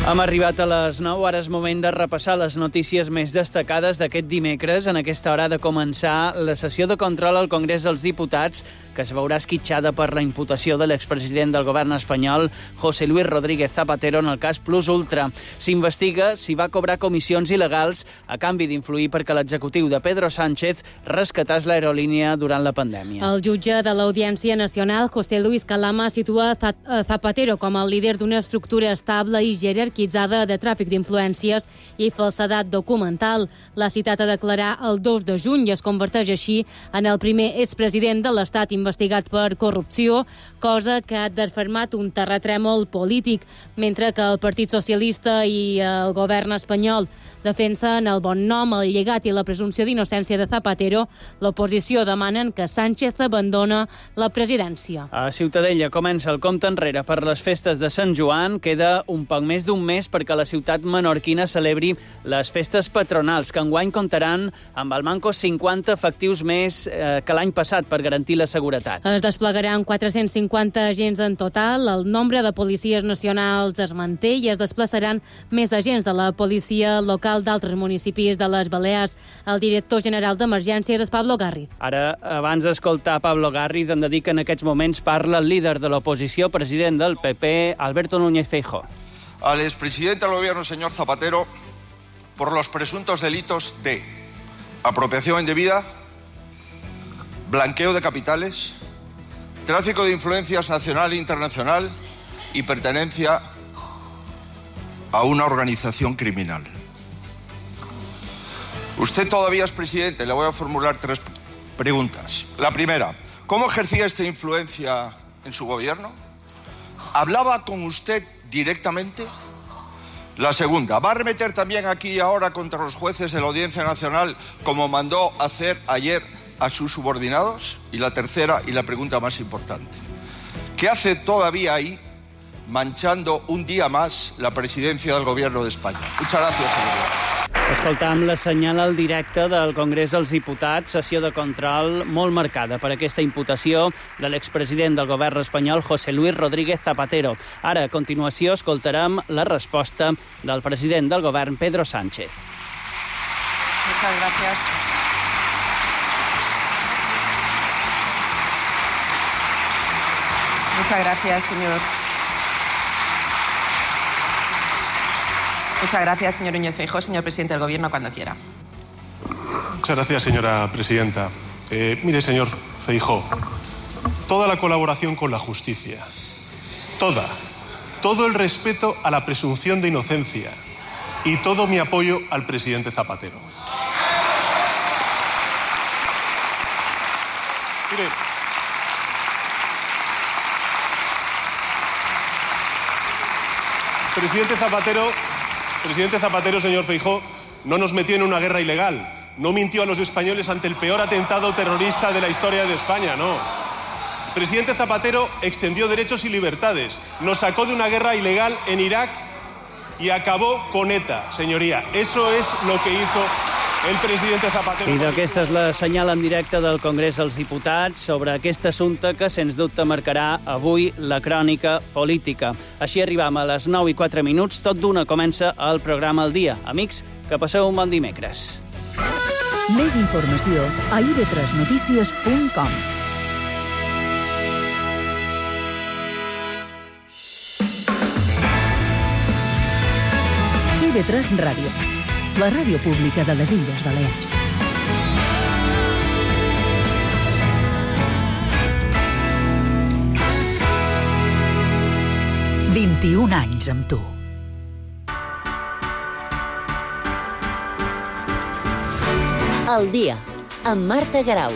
Hem arribat a les 9, ara és moment de repassar les notícies més destacades d'aquest dimecres. En aquesta hora ha de començar la sessió de control al Congrés dels Diputats, que es veurà esquitxada per la imputació de l'expresident del govern espanyol, José Luis Rodríguez Zapatero, en el cas Plus Ultra. S'investiga si va cobrar comissions il·legals a canvi d'influir perquè l'executiu de Pedro Sánchez rescatàs l'aerolínia durant la pandèmia. El jutge de l'Audiència Nacional, José Luis Calama, situa Zapatero com el líder d'una estructura estable i jerarquitzada de tràfic d'influències i falsedat documental. L'ha citat a declarar el 2 de juny i es converteix així en el primer expresident de l'Estat investigat per corrupció, cosa que ha desfermat un terratrèmol polític, mentre que el Partit Socialista i el govern espanyol defensen el bon nom, el llegat i la presumpció d'innocència de Zapatero. L'oposició demanen que Sánchez abandona la presidència. A Ciutadella comença el compte enrere per les festes de Sant Joan. Queda un poc més d'un mes perquè la ciutat menorquina celebri les festes patronals, que enguany comptaran amb al manco 50 efectius més que l'any passat per garantir la seguretat. Es desplegaran 450 agents en total, el nombre de policies nacionals es manté i es desplaçaran més agents de la policia local d'altres municipis de les Balears. El director general d'Emergències és Pablo Garriz. Ara, abans d'escoltar Pablo Garriz, hem de dir que en aquests moments parla el líder de l'oposició, president del PP, Alberto Núñez Feijóo. Al expresidente del gobierno, señor Zapatero, por los presuntos delitos de apropiación indebida, blanqueo de capitales, tráfico de influencias nacional e internacional y pertenencia a una organización criminal. Usted todavía es presidente, le voy a formular 3 preguntas. La primera, ¿cómo ejercía esta influencia en su gobierno? ¿Hablaba con usted directamente? La segunda, ¿va a arremeter también aquí y ahora contra los jueces de la Audiencia Nacional como mandó hacer ayer a sus subordinados? Y la tercera y la pregunta más importante, ¿qué hace todavía ahí manchando un día más la presidencia del Gobierno de España? Muchas gracias, señor. Escoltam la senyal al directe del Congrés dels Diputats, sessió de control molt marcada per aquesta imputació de l'expresident del govern espanyol, José Luis Rodríguez Zapatero. Ara, a continuació, escoltarem la resposta del president del govern, Pedro Sánchez. Muchas gracias. Muchas gracias, señor. Muchas gracias, señor Núñez Feijóo. Señor presidente del Gobierno, cuando quiera. Muchas gracias, señora presidenta. Mire, señor Feijóo, toda la colaboración con la justicia, todo el respeto a la presunción de inocencia y todo mi apoyo al presidente Zapatero. Mire, Presidente Zapatero, señor Feijóo, no nos metió en una guerra ilegal, no mintió a los españoles ante el peor atentado terrorista de la historia de España, no. El presidente Zapatero extendió derechos y libertades, nos sacó de una guerra ilegal en Irak y acabó con ETA, señoría. Eso es lo que hizo el presidente Zapatero. I aquesta és la senyal en directe del Congrés dels Diputats sobre aquest assumpte que, sens dubte, marcarà avui la crònica política. Així arribam a les 9:04, tot d'una comença el programa al dia. Amics, que passeu un bon dimecres. Més informació a ib3notícies.com. IB3 Ràdio, la ràdio pública de les Illes Balears. «21 anys amb tu». El dia, amb Marta Garau.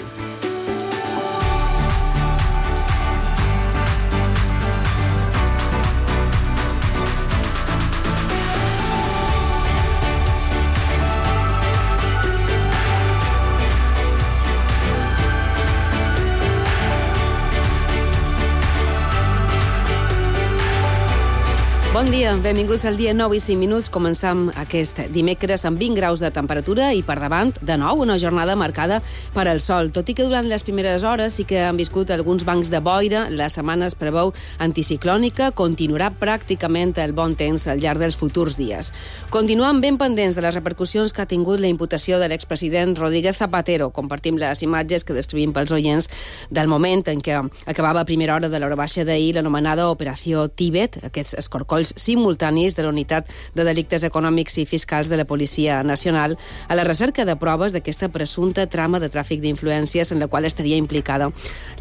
Bon dia, benvinguts al dia 9 i 5 minuts. Comencem aquest dimecres amb 20 graus de temperatura i per davant, de nou, una jornada marcada per al sol. Tot i que durant les primeres hores sí que han viscut alguns bancs de boira, la setmana es preveu anticiclònica, continuarà pràcticament el bon temps al llarg dels futurs dies. Continuem ben pendents de les repercussions que ha tingut la imputació de l'expresident Rodríguez Zapatero. Compartim les imatges que descrivim pels oients del moment en què acabava a primera hora de l'hora baixa d'ahir l'anomenada Operació Tíbet, aquests escorcolls simultanis de la Unitat de Delictes Econòmics i Fiscals de la Policia Nacional a la recerca de proves d'aquesta presumpta trama de tràfic d'influències en la qual estaria implicada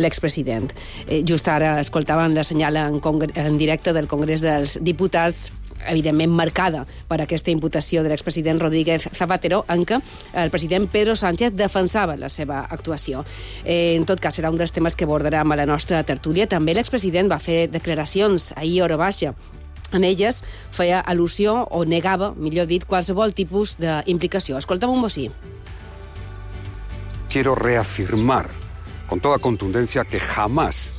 l'expresident. Just ara escoltaven la senyal en directe del Congrés dels Diputats, evidentment marcada per aquesta imputació de l'expresident Rodríguez Zapatero, en què el president Pedro Sánchez defensava la seva actuació. En tot cas, serà un dels temes que abordarem a la nostra tertúlia. També l'expresident va fer declaracions ahir a hora baixa. En elles feia al·lusió o negava, millor dit, qualsevol tipus d'implicació. Escolta'm un bocí. Quiero reafirmar con toda contundencia que jamás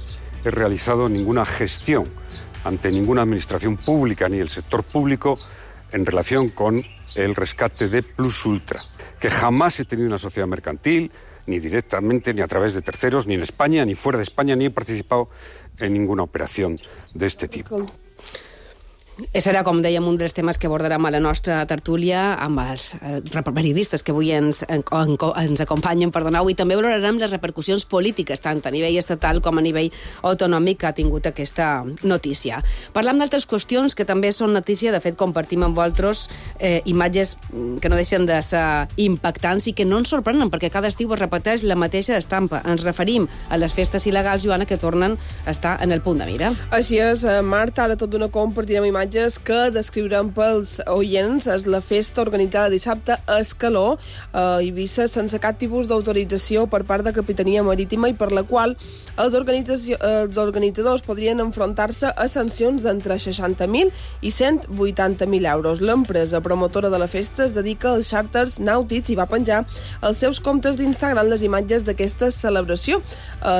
he realizado ninguna gestión ante ninguna administración pública ni el sector público en relación con el rescate de Plus Ultra, que jamás he tenido una sociedad mercantil, ni directamente, ni a través de terceros, ni en España, ni fuera de España, ni he participado en ninguna operación de este tipo. Serà, com dèiem, un dels temes que abordarem a la nostra tertúlia amb els periodistes que avui ens acompanyen, i també valorarem les repercussions polítiques, tant a nivell estatal com a nivell autonòmic, que ha tingut aquesta notícia. Parlam d'altres qüestions que també són notícia. De fet, compartim amb vosaltres imatges que no deixen de ser impactants i que no ens sorprenen, perquè cada estiu es repeteix la mateixa estampa. Ens referim a les festes il·legals, Joana, que tornen a estar en el punt de mira. Així és, Marta, ara tot d'una compartirem imatges que descriurem pels oients. És la festa organitzada dissabte a Escaló, a Eivissa, sense cap tipus d'autorització per part de Capitania Marítima i per la qual els organitzadors podrien enfrontar-se a sancions d'entre 60.000 i 180.000 euros. L'empresa promotora de la festa es dedica als xàrters nàutics i va penjar als seus comptes d'Instagram les imatges d'aquesta celebració.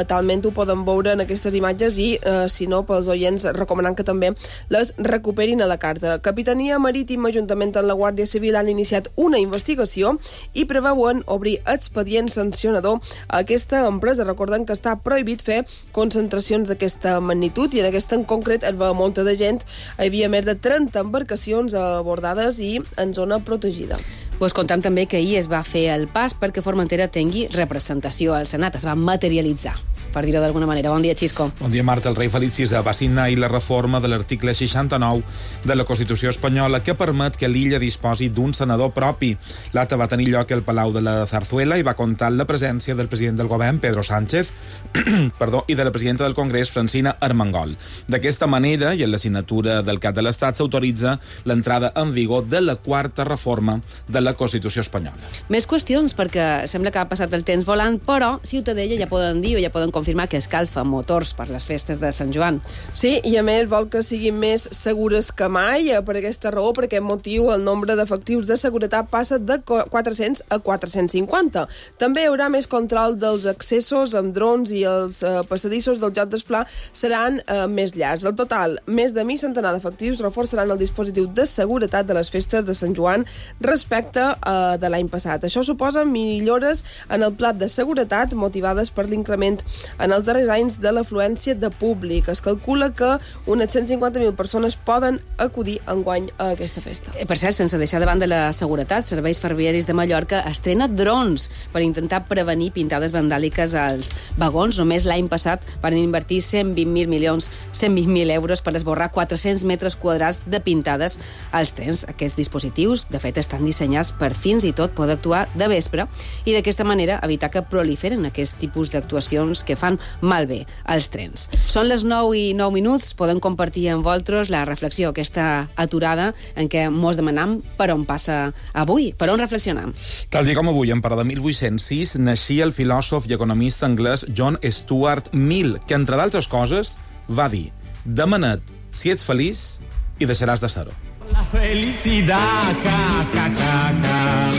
Talment ho poden veure en aquestes imatges i, si no, pels oients recomanant que també les recuperin a la carta. Capitania Marítima, juntament amb la Guàrdia Civil, han iniciat una investigació i preveuen obrir expedient sancionador a aquesta empresa. Recordem que està prohibit fer concentracions d'aquesta magnitud i en aquesta en concret es va molta de gent. Hi havia més de 30 embarcacions abordades i en zona protegida. Us contem també que ahir es va fer el pas perquè Formentera tingui representació al Senat. Es va materialitzar, per dir-ho d'alguna manera. Bon dia, Xisco. Bon dia, Marta. El rei Felip VI va signar ahir la reforma de l'article 69 de la Constitució espanyola que permet que l'illa disposi d'un senador propi. L'acte va tenir lloc al Palau de la Zarzuela i va comptar amb la presència del president del govern, Pedro Sánchez, i de la presidenta del Congrés, Francina Armengol. D'aquesta manera, i en la signatura del cap de l'Estat, s'autoritza l'entrada en vigor de la quarta reforma de la Constitució espanyola. Més qüestions, perquè sembla que ha passat el temps volant, però Ciutadella ja poden dir o ja poden confirmar que escalfa motors per les festes de Sant Joan. Sí, i a més vol que siguin més segures que mai. Per aquesta raó, per aquest motiu, el nombre d'efectius de seguretat passa de 400 a 450. També hi haurà més control dels accessos amb drons i els passadissos del joc d'esplà seran més llargs. Al total, més de mig centenar d'efectius reforçaran el dispositiu de seguretat de les festes de Sant Joan respecte de l'any passat. Això suposa millores en el plat de seguretat motivades per l'increment en els darrers anys de l'afluència de públic. Es calcula que unes 150.000 persones poden acudir enguany a aquesta festa. Per cert, sense deixar de banda la seguretat, Serveis Ferroviaris de Mallorca estrena drons per intentar prevenir pintades vandàliques als vagons. Només l'any passat van invertir 120.000 euros per esborrar 400 metres quadrats de pintades als trens. Aquests dispositius, de fet, estan dissenyats per fins i tot poder actuar de vespre i d'aquesta manera evitar que proliferen aquest tipus d'actuacions que fan malbé als trens. Són les 9 i 9 minuts, podem compartir amb vosaltres la reflexió, aquesta aturada en què mos demanam per on passa avui, per on reflexionam. Tal dia com avui, en parada de 1806, naixia el filòsof i economista anglès John Stuart Mill, que, entre d'altres coses, va dir: demana't si ets feliç i deixaràs de ser-ho. La felicidad, ja, ja, ja, ja,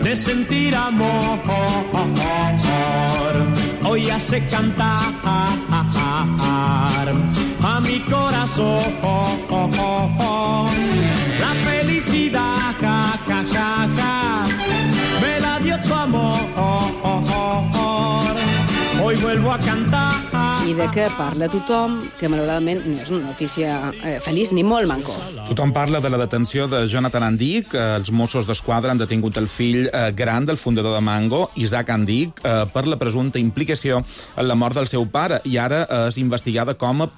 de sentir amor, hoy hace cantar a mi corazón. a cantar. I de què parla tothom, que malauradament no és una notícia feliç ni molt manco. Tothom parla de la detenció de Jonathan Andic. Els Mossos d'Esquadra han detingut el fill gran del fundador de Mango, Isaac Andic, per la presumpta implicació en la mort del seu pare, i ara és investigada com a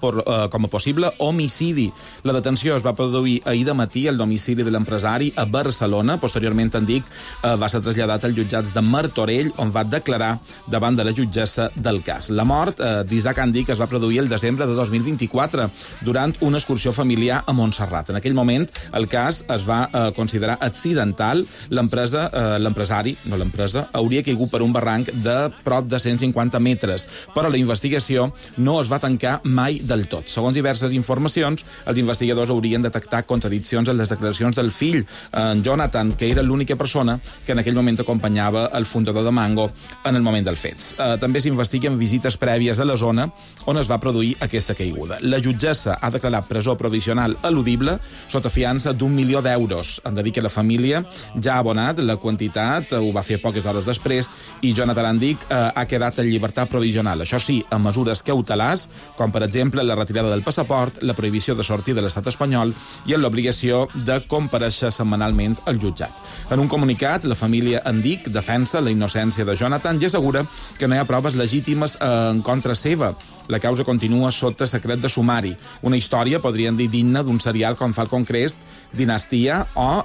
possible homicidi. La detenció es va produir ahir de matí al domicili de l'empresari a Barcelona. Posteriorment, Andic va ser traslladat als jutjats de Martorell, on va declarar davant de la jutgessa del cas. La mort d'Isaac Andic es va produir el desembre de 2024 durant una excursió familiar a Montserrat. En aquell moment, el cas es va considerar accidental. L'empresari, no l'empresa, hauria caigut per un barranc de prop de 150 metres, però la investigació no es va tancar mai del tot. Segons diverses informacions, els investigadors haurien detectat contradiccions en les declaracions del fill, en Jonathan, que era l'única persona que en aquell moment acompanyava el fundador de Mango en el moment dels fets. També s'investiguen visites prèvies a la zona on es va produir aquesta caiguda. La jutgessa ha declarat presó provisional eludible sota fiança d'1 milió d'euros. Han de dir que la família ja ha abonat la quantitat, ho va fer poques hores després, i Jonathan Andic ha quedat en llibertat provisional. Això sí, amb mesures cautelars, com per exemple la retirada del passaport, la prohibició de sortir de l'estat espanyol i en l'obligació de comparèixer setmanalment al jutjat. En un comunicat, la família Andic defensa la innocència de Jonathan i assegura que no hi ha proves legítimes en contra seva. La causa continua sota secret de sumari. Una història, podríem dir, digna d'un serial com Falcon Crest, Dinastia o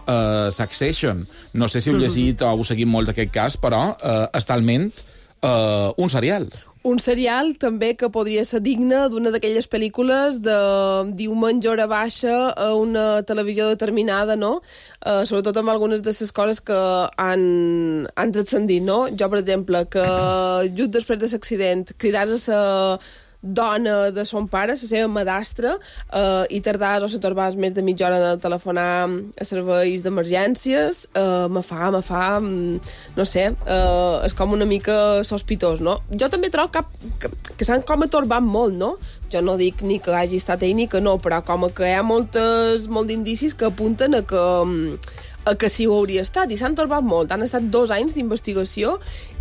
Succession. No sé si heu llegit o heu seguit molt d'aquest cas, però és talment un serial. Un serial també que podria ser digne d'una d'aquelles pel·lícules de diumenge hora baixa a una televisió determinada, no? Sobretot amb algunes de les coses que han transcendit, no? Jo, per exemple, que just després de l'accident cridàs a la dona de son pare, la seva madastra, i tardàs o se torbaves més de mitja hora de telefonar a serveis d'emergències, me fa, no sé, és com una mica sospitós, no? Jo també trobo que s'han com atorbat molt, no? Jo no dic ni que hagi estat ell ni que no, però com que hi ha molt d'indicis que apunten a que sí ho hauria estat, i s'han torbat molt. Han estat 2 anys d'investigació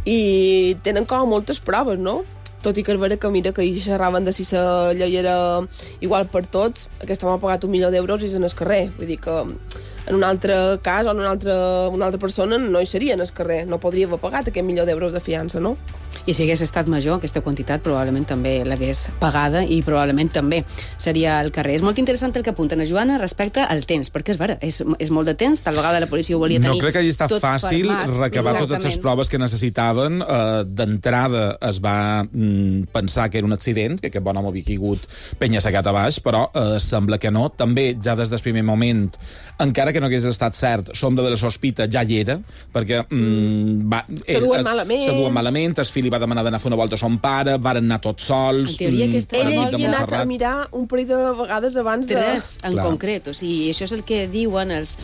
i tenen com moltes proves, no? Tot i que és vera que mira que hi xerraven de si la llei era igual per tots, aquest home ha pagat 1 milió d'euros i és en el carrer. Vull dir que en un altre cas o en una altra persona no hi seria en el carrer, no podria haver pagat aquest 1 milió d'euros de fiança, no? I si hagués estat major, aquesta quantitat probablement també l'hagués pagada i probablement també seria al carrer. És molt interessant el que apunten a Joana respecte al temps, perquè és vera, és molt de temps, tal vegada la policia ho volia tenir. No crec que hagi estat fàcil recabar totes les proves que necessitaven. D'entrada es va pensar que era un accident, que aquest bon home havia caigut penya-segat a baix, però sembla que no. També, ja des del primer moment, encara que no hagués estat cert, l'ombra de la sospita ja hi era, perquè se duen malament, el fill li va demanar d'anar a fer una volta a son pare, varen anar tots sols. Ella havia anat a mirar un parell de vegades abans de... 3 en concret, o sigui, això és el que diuen els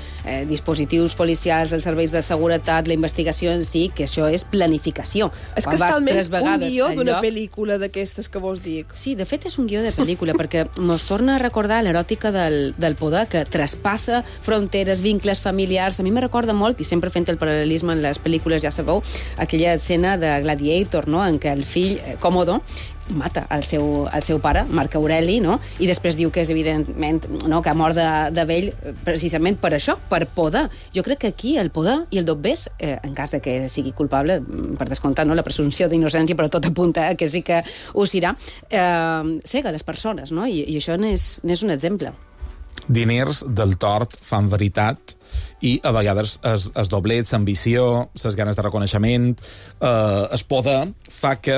dispositius policials, els serveis de seguretat, la investigació en si, que això és planificació. És que és talment un guió d'una pel·lícula d'aquestes que vos dic. Sí, de fet és un guió de pel·lícula, perquè mos torna a recordar l'eròtica del poder, que traspassa fronteres, vincles familiars. A mi me recorda molt, i sempre fent el paral·lelisme en les pel·lícules, ja sabeu, aquella escena de Gladiator, no?, en què el fill, Còmodo, mata el seu pare, Marc Aureli, no? I després diu que és evidentment, no?, que ha mort de vell precisament per això, per poder. Jo crec que aquí el poder i el dobbers, en cas de que sigui culpable, per descomptat, no?, la presumpció d'innocència, però tot apunta que sí que ho serà, cega les persones, no? I això n'és un exemple. Diners del tort fan veritat, i a vegades els doblets, l'ambició, les ganes de reconeixement, el poder fa que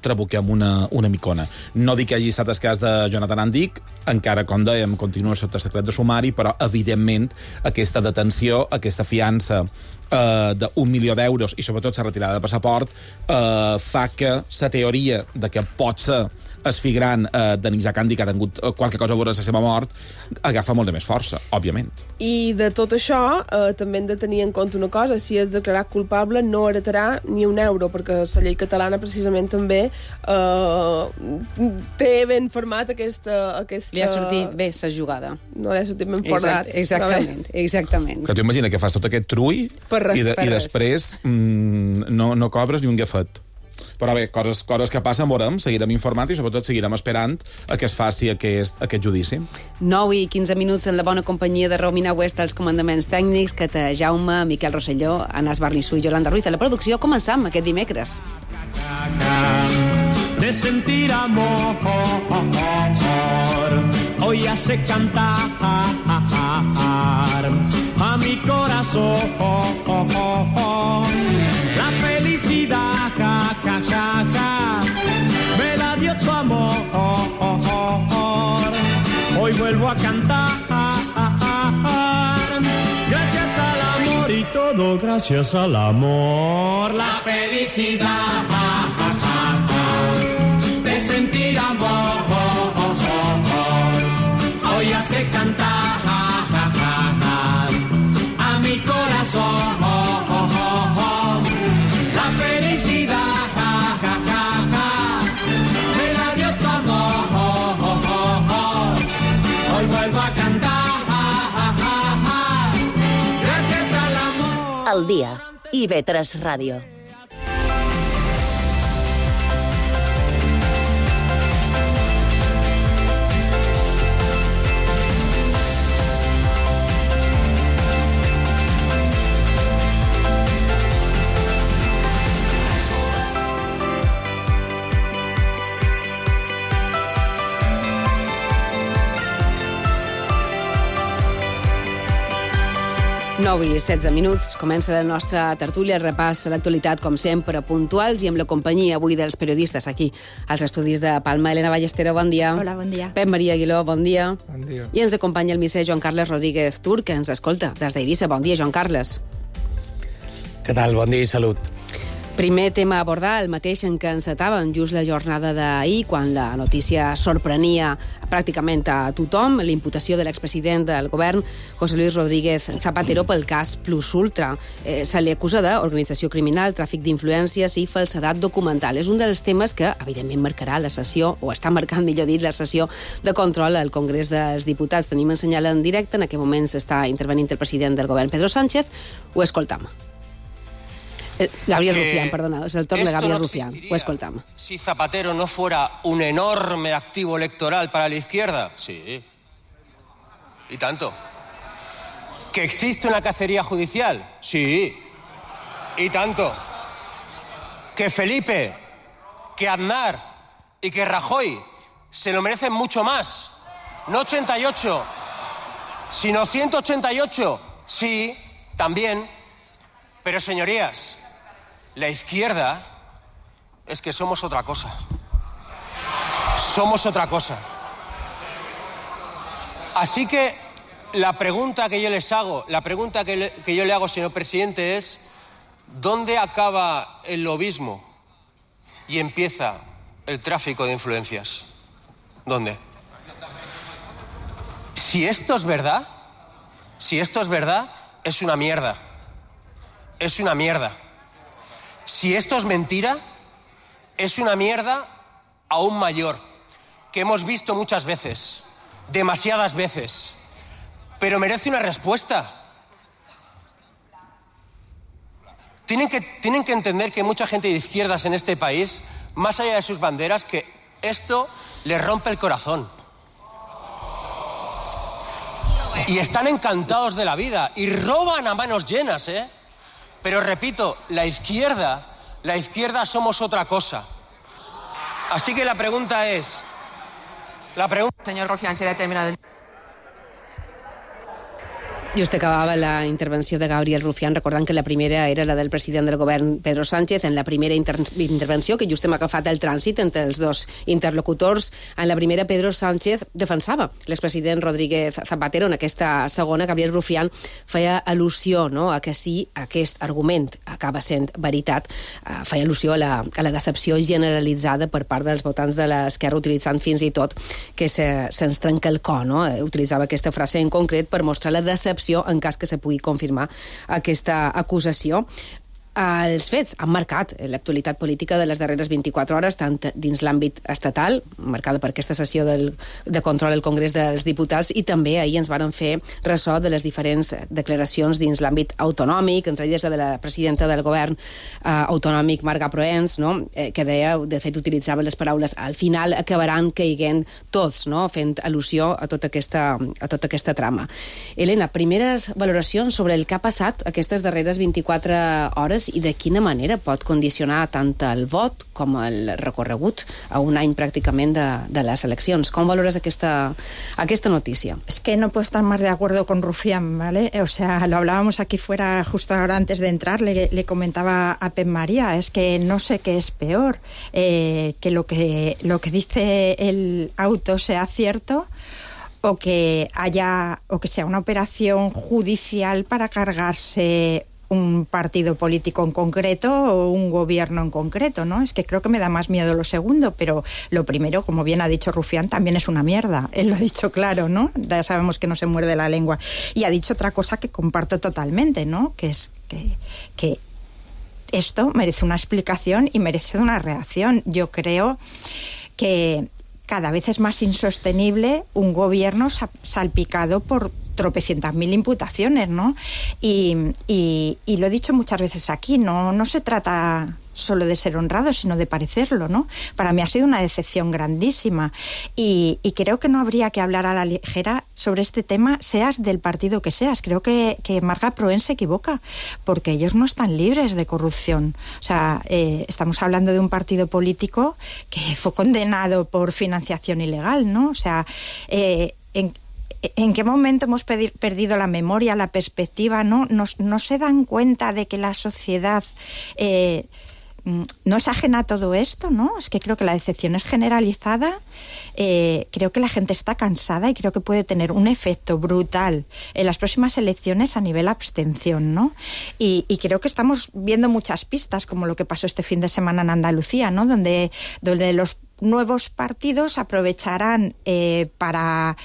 trabuquem una micona. No dic que hagi estat el cas de Jonathan Andic, encara, com dèiem, continua sota secret de sumari, però, evidentment, aquesta detenció, aquesta fiança d'1 milió d'euros i, sobretot, la retirada de passaport fa que la teoria de que pot ser el fill gran d'en Isaac Andic, que ha tingut qualque cosa a veure la seva mort, agafa molt de més força, òbviament. I de tot això també hem de tenir en compte una cosa: si és declarat culpable no heretarà ni un euro, perquè la llei catalana precisament també té ben format aquesta... Li ha sortit bé la jugada. No li ha sortit ben format. Exactament. Que tu imagina que fas tot aquest trull i després no cobres ni un gafet. Però bé, coses que passen, veurem, seguirem informant i sobretot seguirem esperant a que es faci aquest judici. 9:15 en la bona companyia de Romina West als comandaments tècnics, Cata Jaume, Miquel Rosselló, Anas Barnissú i Yolanda Ruiz. A la producció començam aquest dimecres. De sentir amor, hoy hace cantar a mi corazón la felicidad, ja, ja, ja, ja, me la dio tu amor, hoy vuelvo a cantar, gracias al amor y todo gracias al amor, la felicidad, ja, ja, ja, ja, de sentir amor, hoy hace cantar a mi corazón la felicidad, ja, ja, ja, ja, me la dio tu amor, hoy vuelvo a cantar gracias al amor. Al día, IB3 Ràdio. I 16 minuts, comença la nostra tertúlia, repàs a l'actualitat, com sempre, puntuals i amb la companyia avui dels periodistes aquí, als estudis de Palma. Elena Ballestero, bon dia. Hola, bon dia. Pep Maria Aguiló, bon dia. Bon dia. I ens acompanya el misser Joan Carles Rodríguez Tur, que ens escolta des d'Eivissa. Bon dia, Joan Carles. Què tal? Bon dia i salut. Primer tema a abordar, el mateix en què encetàvem just la jornada d'ahir, quan la notícia sorprenia pràcticament a tothom, la imputació de l'expresident del govern, José Luis Rodríguez Zapatero, pel cas Plus Ultra. Se li acusa d'organització criminal, tràfic d'influències i falsedat documental. És un dels temes que, evidentment, marcarà la sessió, o està marcant, millor dit, la sessió de control al Congrés dels Diputats. Tenim en senyal en directe, en aquest moment s'està intervenint el president del govern, Pedro Sánchez. Ho escoltam. Gabriel Rufián, perdona, es el torno de Gabriel Rufián. Ho escoltam. Si Zapatero no fuera un enorme activo electoral para la izquierda, sí. ¿Y tanto? ¿Que existe una cacería judicial? Sí. ¿Y tanto? ¿Que Felipe, que Aznar y que Rajoy se lo merecen mucho más? No 88, sino 188. Sí, también. Pero, señorías, la izquierda es que somos otra cosa. Somos otra cosa. Así que la pregunta que yo les hago, la pregunta que yo le hago, señor presidente, es ¿dónde acaba el lobismo y empieza el tráfico de influencias? ¿Dónde? Si esto es verdad, es una mierda. Es una mierda. Si esto es mentira, es una mierda aún mayor, que hemos visto muchas veces, demasiadas veces, pero merece una respuesta. Tienen que entender que mucha gente de izquierdas en este país, más allá de sus banderas, que esto les rompe el corazón. Y están encantados de la vida y roban a manos llenas, ¿eh? Pero repito, la izquierda somos otra cosa. Así que la pregunta es... Señor Rufián, será terminado el... Just acabava la intervenció de Gabriel Rufián, recordant que la primera era la del president del govern, Pedro Sánchez. En la primera intervenció, que just hem agafat el trànsit entre els dos interlocutors, en la primera Pedro Sánchez defensava l'expresident Rodríguez Zapatero. En aquesta segona, Gabriel Rufián feia al·lusió, no?, a que si aquest argument acaba sent veritat, feia al·lusió a la decepció generalitzada per part dels votants de l'Esquerra, utilitzant fins i tot que se'ns trenca el cor, no? Utilitzava aquesta frase en concret per mostrar la decepció en cas que se pugui confirmar aquesta acusació. Els fets han marcat l'actualitat política de les darreres 24 hores, tant dins l'àmbit estatal, marcada per aquesta sessió de control al Congrés dels Diputats, i també ahir ens varen fer ressò de les diferents declaracions dins l'àmbit autonòmic, entre elles la de la presidenta del govern autonòmic, Marga Proens, no? Que deia, de fet utilitzava les paraules al final acabaran caiguent tots, no? Fent al·lusió a tota aquesta trama. Helena, primeres valoracions sobre el que ha passat aquestes darreres 24 hores i de quina manera pot condicionar tant el vot com el recorregut a un any pràcticament de les eleccions. Com valores aquesta noticia? Es que no puedo estar más de acuerdo con Rufián, ¿vale? O sea, lo hablábamos aquí fuera justo ahora antes de entrar, le comentaba a Pep María, es que no sé qué es peor, que lo que dice el auto sea cierto o que sea una operación judicial para cargarse un partido político en concreto o un gobierno en concreto, ¿no? Es que creo que me da más miedo lo segundo, pero lo primero, como bien ha dicho Rufián, también es una mierda. Él lo ha dicho claro, ¿no? Ya sabemos que no se muerde la lengua. Y ha dicho otra cosa que comparto totalmente, ¿no? Que es que esto merece una explicación y merece una reacción. Yo creo que cada vez es más insostenible un gobierno salpicado por tropecientas mil imputaciones, ¿no? Y lo he dicho muchas veces aquí, no se trata solo de ser honrado, sino de parecerlo, ¿no? Para mí ha sido una decepción grandísima y creo que no habría que hablar a la ligera sobre este tema, seas del partido que seas. Creo que Marga Proens se equivoca, porque ellos no están libres de corrupción. O sea, estamos hablando de un partido político que fue condenado por financiación ilegal, ¿no? O sea, ¿en qué momento hemos perdido la memoria, la perspectiva, ¿no? No se dan cuenta de que la sociedad no es ajena a todo esto, ¿no? Es que creo que la decepción es generalizada, creo que la gente está cansada y creo que puede tener un efecto brutal en las próximas elecciones a nivel abstención, ¿no? Y creo que estamos viendo muchas pistas, como lo que pasó este fin de semana en Andalucía, ¿no? Donde los nuevos partidos aprovecharán para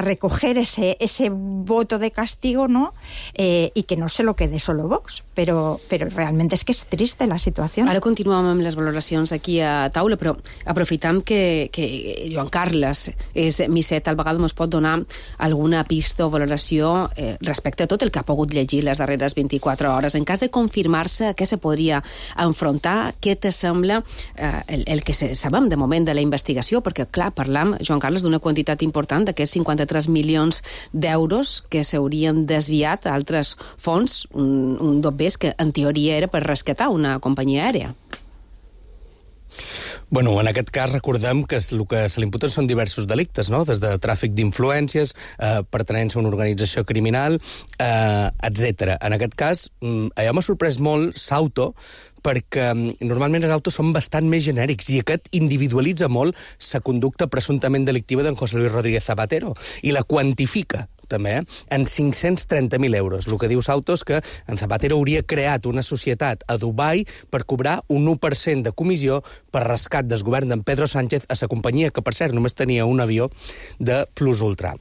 recoger ese voto de castigo, ¿no? Y que no se lo quede solo Vox. Però realment és que és trista la situació. Ara continuem amb les valoracions aquí a taula, però aprofitam que Joan Carles és misset, al vegada ens pot donar alguna pista o valoració respecte a tot el que ha pogut llegir les darreres 24 hores. En cas de confirmar-se, què se podria enfrontar? Què te sembla el que sabem de moment de la investigació? Perquè, clar, parlam, Joan Carles, d'una quantitat important d'aquests 53 milions d'euros que s'haurien desviat a altres fons, un dobbers que en teoria era per rescatar una companyia aèria. Bueno, en aquest cas recordem que el que se li imputen són diversos delictes, no? Des de tràfic d'influències, pertenença a una organització criminal, etc. En aquest cas, allò m'ha sorprès molt Sauto, perquè normalment els autos són bastant més genèrics i aquest individualitza molt la conducta presumptament delictiva d'en José Luis Rodríguez Zapatero i la quantifica també, en 530.000 euros. El que diu Sauto és que en Zapatero hauria creat una societat a Dubai per cobrar un 1% de comissió per rescat del govern d'en Pedro Sánchez a la companyia, que per cert només tenia un avió de Plus Ultra.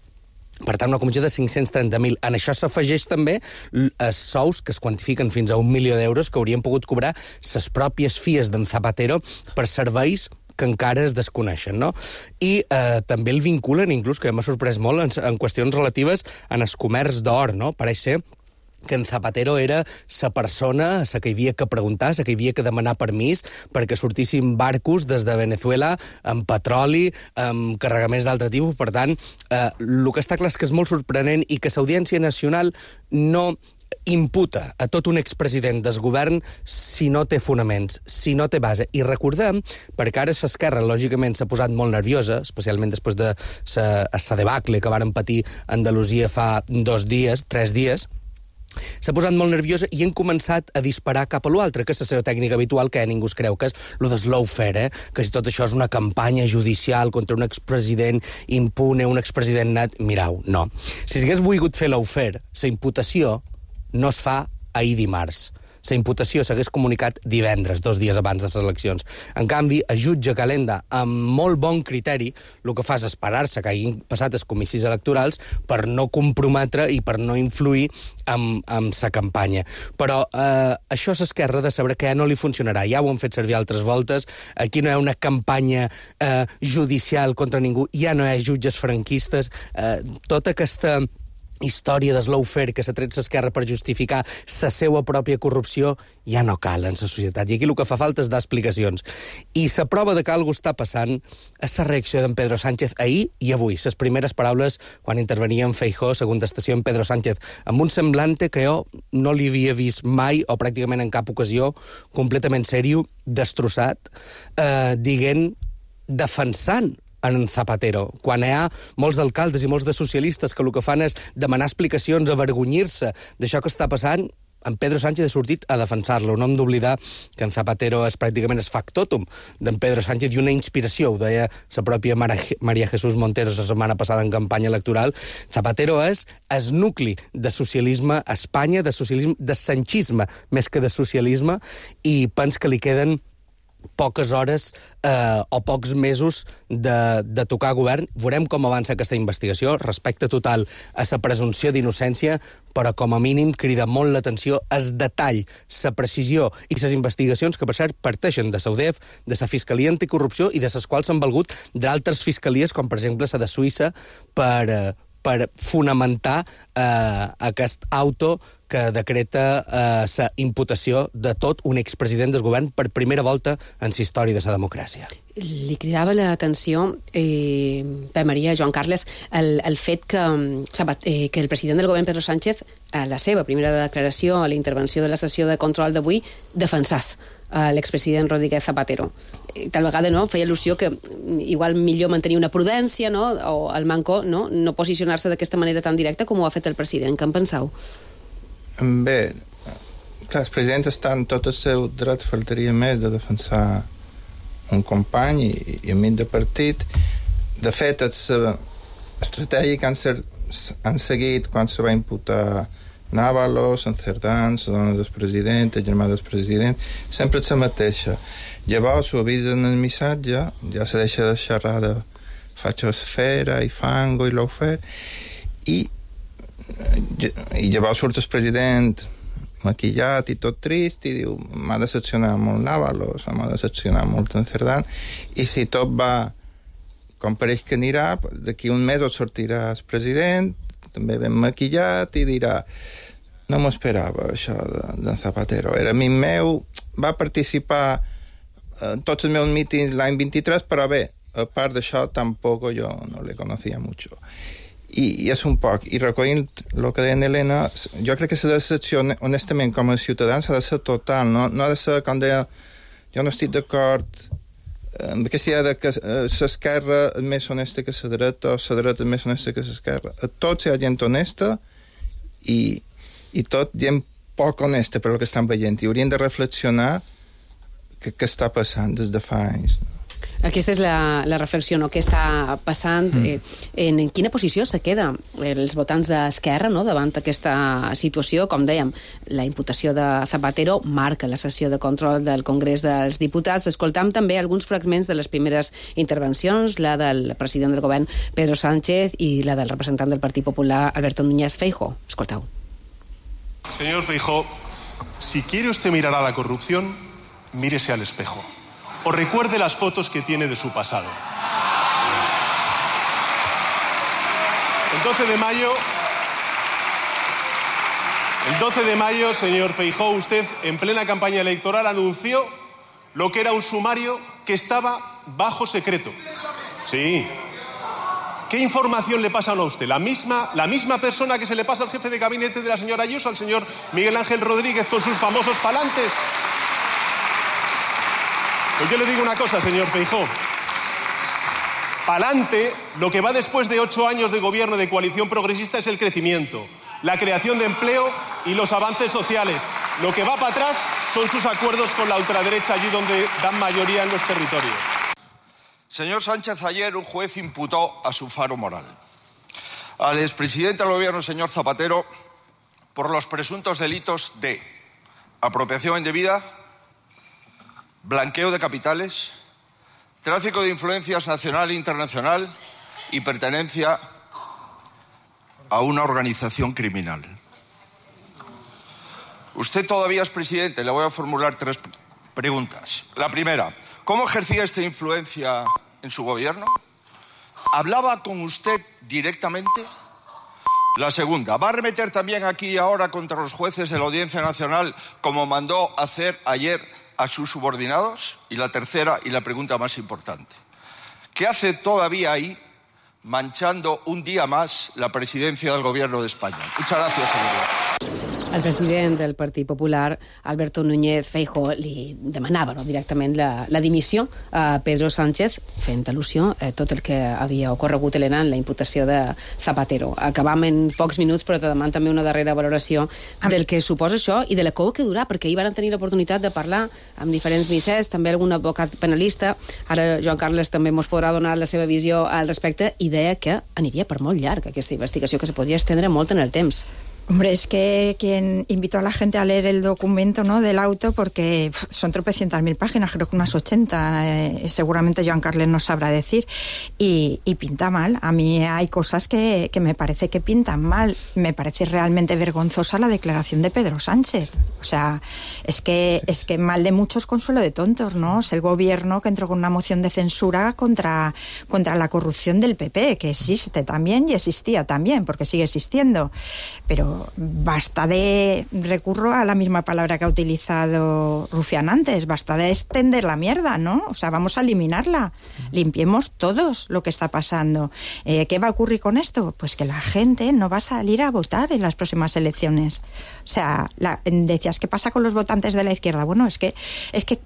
Per tant, una comissió de 530.000. En això s'afegeix també els sous que es quantifiquen fins a 1 milió d'euros que haurien pogut cobrar les pròpies fies d'en Zapatero per serveis que encara es desconeixen, no? I també el vinculen, inclús, que m'ha sorprès molt, en qüestions relatives en el comerç d'or, no? Pareix ser que en Zapatero era la persona a la que hi havia que preguntar, a la que hi havia que demanar permís perquè sortissin barcos des de Venezuela amb petroli, amb carregaments d'altre tipus. Per tant, el que està clar és que és molt sorprenent i que l'Audiència Nacional no imputa a tot un expresident del govern si no té fonaments, si no té base. I recordem, perquè ara l'esquerra lògicament s'ha posat molt nerviosa, especialment després de la debacle que varen patir a Andalusia fa 3 dies, s'ha posat molt nerviosa i han començat a disparar cap a l'altre, que és la seva tècnica habitual, que ningú es creu, que és lo de lawfare, que si tot això és una campanya judicial contra un expresident impune, un expresident net. Mirau, no. Si s'hagués volgut fer lawfare, la imputació no es fa ahir dimarts. la imputació s'hagués comunicat divendres, 2 dies abans de les eleccions. En canvi, el jutge Calenda, amb molt bon criteri, el que fa és esperar-se que hagin passat els comicis electorals per no comprometre i per no influir amb la campanya. Però això és Esquerra de saber que ja no li funcionarà. Ja ho han fet servir altres voltes. Aquí no hi ha una campanya judicial contra ningú. Ja no hi ha jutges franquistes. Tota aquesta història d'Slowfair que s'ha tret l'Esquerra per justificar la seva pròpia corrupció ja no cal en la societat. I aquí el que fa falta és dar explicacions. I la prova de que alguna cosa està passant és la reacció d'en Pedro Sánchez ahir i avui. Les primeres paraules quan intervenia en Feijóo, la contestació en Pedro Sánchez, amb un semblante que jo no li havia vist mai, o pràcticament en cap ocasió, completament seriós, destrossat, dient, defensant en Zapatero, quan hi ha molts d'alcaldes i molts de socialistes que el que fan és demanar explicacions, avergonyir-se d'això que està passant, en Pedro Sánchez ha sortit a defensar-lo. No hem d'oblidar que en Zapatero és pràcticament el factotum d'en Pedro Sánchez i una inspiració, ho deia la pròpia María Jesús Montero la setmana passada en campanya electoral. Zapatero és el nucli de socialisme a Espanya, de socialisme, de sanchisme més que de socialisme, i pens que li queden poques hores o pocs mesos de tocar govern. Veurem com avança aquesta investigació. Respecte total a la presumpció d'innocència, però com a mínim crida molt l'atenció el detall, la precisió i les investigacions que, per cert, parteixen de la UDEF, de la Fiscalia Anticorrupció i de les quals s'han valgut d'altres fiscalies, com per exemple la de Suïssa, per fonamentar aquest auto que decreta la imputació de tot un expresident del govern per primera volta en la història de la democràcia. Li cridava l'atenció, Pep Maria, Joan Carles, el fet que el president del govern, Pedro Sánchez, a la seva primera declaració, a la intervenció de la sessió de control d'avui, defensàs l'expresident Rodríguez Zapatero. Tal vegada feia al·lusió que igual millor mantenir una prudència, o el manco no posicionar-se d'aquesta manera tan directa com ho ha fet el president. Què en penseu? Bé, clar, el president està en tot el seu dret, faltaria més, de defensar un company i amic de partit. De fet, l'estratègia que han seguit quan se va imputar Návalos, en Cerdán, la dona del president, el germà del president, sempre és la mateixa. Llavors ho avisen el missatge, ja se deixa de xerrar de fachosfera i fango i lawfare, i llavors surt el president maquillat i tot trist i diu, m'ha decepcionat molt Návalos, m'ha decepcionat molt en Cerdán, i si tot va com pareix que anirà, d'aquí un mes sortirà el president, també ben maquillat, i dirà, no m'ho esperava això d'en Zapatero, era amic meu, va participar en tots els meus mítings l'any 23, però bé, a part d'això tampoc jo no le conocía mucho. I és un poc, i recollint el que deia Elena, jo crec que la decepció, honestament, com a ciutadans, ha de ser total, no ha de ser, com deia, jo no estic d'acord amb aquesta idea que l'esquerra és més honesta que la dreta, o la dreta és més honesta que l'esquerra. A tots hi ha gent honesta i tot gent poc honesta per el que estan veient, i haurien de reflexionar què està passant des de fa anys. Aquesta és la reflexió, què està passant, en quina posició se queda els votants d'Esquerra davant aquesta situació. Com dèiem, la imputació de Zapatero marca la sessió de control del Congrés dels Diputats. Escoltam també alguns fragments de les primeres intervencions, la del president del govern, Pedro Sánchez, i la del representant del Partit Popular, Alberto Núñez Feijóo. Escoltau. Señor Feijóo, si quiere usted mirar a la corrupción, mírese al espejo. O recuerde las fotos que tiene de su pasado. El 12 de mayo, señor Feijóo, usted en plena campaña electoral anunció lo que era un sumario que estaba bajo secreto. Sí. ¿Qué información le pasan a usted? La misma persona que se le pasa al jefe de gabinete de la señora Ayuso, al señor Miguel Ángel Rodríguez, con sus famosos palantes. Pues yo le digo una cosa, señor Feijóo. Pa'lante, lo que va después de 8 años de gobierno de coalición progresista es el crecimiento, la creación de empleo y los avances sociales. Lo que va para atrás son sus acuerdos con la ultraderecha, allí donde dan mayoría en los territorios. Señor Sánchez, ayer un juez imputó a su faro moral al expresidente del gobierno, señor Zapatero, por los presuntos delitos de apropiación indebida, blanqueo de capitales, tráfico de influencias nacional e internacional y pertenencia a una organización criminal. Usted todavía es presidente. Le voy a formular 3 preguntas. La primera, ¿cómo ejercía esta influencia en su gobierno? ¿Hablaba con usted directamente? La segunda, ¿va a arremeter también aquí y ahora contra los jueces de la Audiencia Nacional como mandó hacer ayer a sus subordinados? Y la tercera, y la pregunta más importante, ¿qué hace todavía ahí manchando un día más la presidencia del Gobierno de España? Muchas gracias, señoría. El president del Partit Popular, Alberto Núñez Feijóo, li demanava directament la dimissió a Pedro Sánchez, fent al·lusió a tot el que havia ocorregut, Helena, en la imputació de Zapatero. Acabam en pocs minuts, però te deman també una darrera valoració del que suposa això i de la cou que durà, perquè ahir van tenir l'oportunitat de parlar amb diferents misers, també algun advocat penalista. Ara Joan Carles també ens podrà donar la seva visió al respecte i deia que aniria per molt llarg aquesta investigació, que se podria estendre molt en el temps. Hombre, es que quien invitó a la gente a leer el documento, ¿no?, del auto, porque son tropecientas mil páginas, creo que unas 80, seguramente Joan Carles nos sabrá decir, y pinta mal. A mí hay cosas que me parece que pintan mal. Me parece realmente vergonzosa la declaración de Pedro Sánchez. O sea, es que mal de muchos, consuelo de tontos, ¿no? Es el gobierno que entró con una moción de censura contra la corrupción del PP, que existe también y existía también, porque sigue existiendo. Pero basta de, recurro a la misma palabra que ha utilizado Rufián antes, basta de extender la mierda, ¿no? O sea, vamos a eliminarla. Limpiemos todos lo que está pasando. ¿Qué va a ocurrir con esto? Pues que la gente no va a salir a votar en las próximas elecciones. O sea, decías, ¿qué pasa con los votantes de la izquierda? Bueno, es que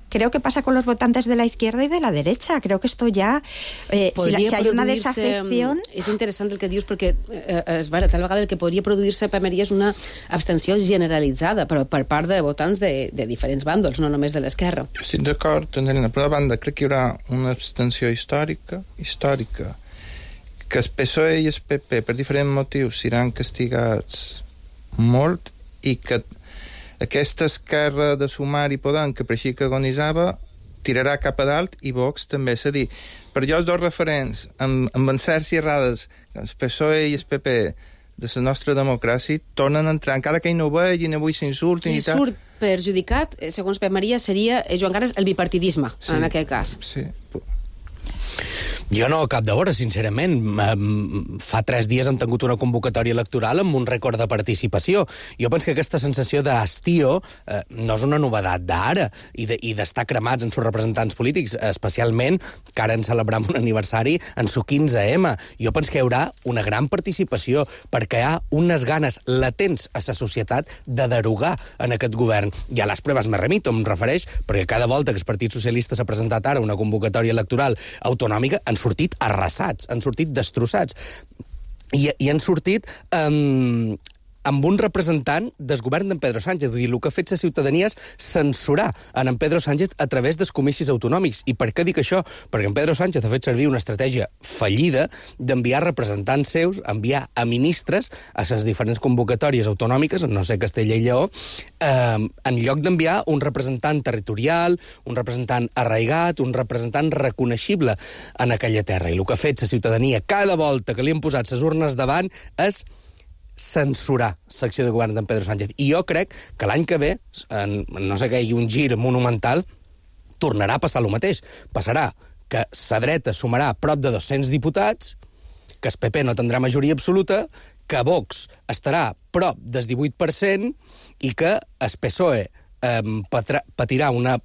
creo que pasa con los votantes de la izquierda y de la derecha. Creo que esto ya, si hay una desafección... És interessant el que dius, perquè tal vegada el que podria produir-se és una abstenció generalitzada, però per part de votants de diferents bàndols, no només de l'esquerra. Jo estic d'acord, Helena. Per una banda, crec que hi haurà una abstenció històrica, que el PSOE i el PP, per diferents motius, seran castigats molt i que aquesta esquerra de Sumar i Podem, que per així que agonitzava, tirarà cap a dalt i Vox també. És a dir, per jo els dos referents amb encerts i errades, el PSOE i el PP, de la nostra democràcia, tornen a entrar, encara que hi no vegin, avui s'insultin i tal. Qui surt perjudicat, segons Pep Maria, seria, Joan Carles, el bipartidisme, en aquest cas. Sí. Jo no cap de veure, sincerament. Fa 3 dies hem tingut una convocatòria electoral amb un rècord de participació. Jo penso que aquesta sensació d'hastío no és una novedat d'ara i d'estar cremats en sus representants polítics, especialment que ara en celebram un aniversari en su 15M. Jo penso que hi haurà una gran participació perquè hi ha unes ganes latents a la societat de derogar en aquest govern. I a les proves me remito, em refereix, perquè cada volta que el Partit Socialista s'ha presentat ara una convocatòria electoral autonòmica han sortit arrasats, han sortit destrossats i han sortit amb un representant del govern d'en Pedro Sánchez. Vull dir, el que ha fet la ciutadania és censurar en Pedro Sánchez a través dels comicis autonòmics. I per què dic això? Perquè en Pedro Sánchez ha fet servir una estratègia fallida d'enviar representants seus, enviar a ministres a les diferents convocatòries autonòmiques, no sé, Castella i Lleó, en lloc d'enviar un representant territorial, un representant arraigat, un representant reconeixible en aquella terra. I el que ha fet la ciutadania cada volta que li han posat les urnes davant és censurar l'acció de govern d'en Pedro Sánchez. I jo crec que l'any que ve, no sé què, hi ha un gir monumental, tornarà a passar el mateix. Passarà que la dreta sumarà prop de 200 diputats, que el PP no tindrà majoria absoluta, que Vox estarà prop del 18% i que el PSOE patirà una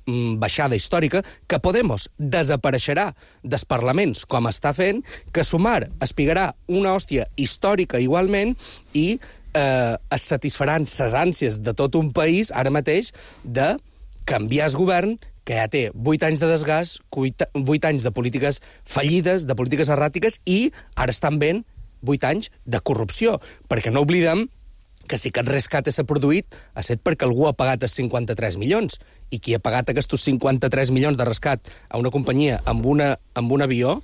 baixada històrica, que Podemos desapareixerà dels parlaments com està fent, que Sumar espigarà una hòstia històrica igualment i es satisfaran ses ànsies de tot un país ara mateix de canviar el govern que ja té 8 anys de desgast, 8 anys de polítiques fallides, de polítiques erràtiques i ara estan ben 8 anys de corrupció, perquè no oblidem que si aquest rescat s'ha produït ha estat perquè algú ha pagat els 53 milions i qui ha pagat aquests 53 milions de rescat a una companyia amb un avió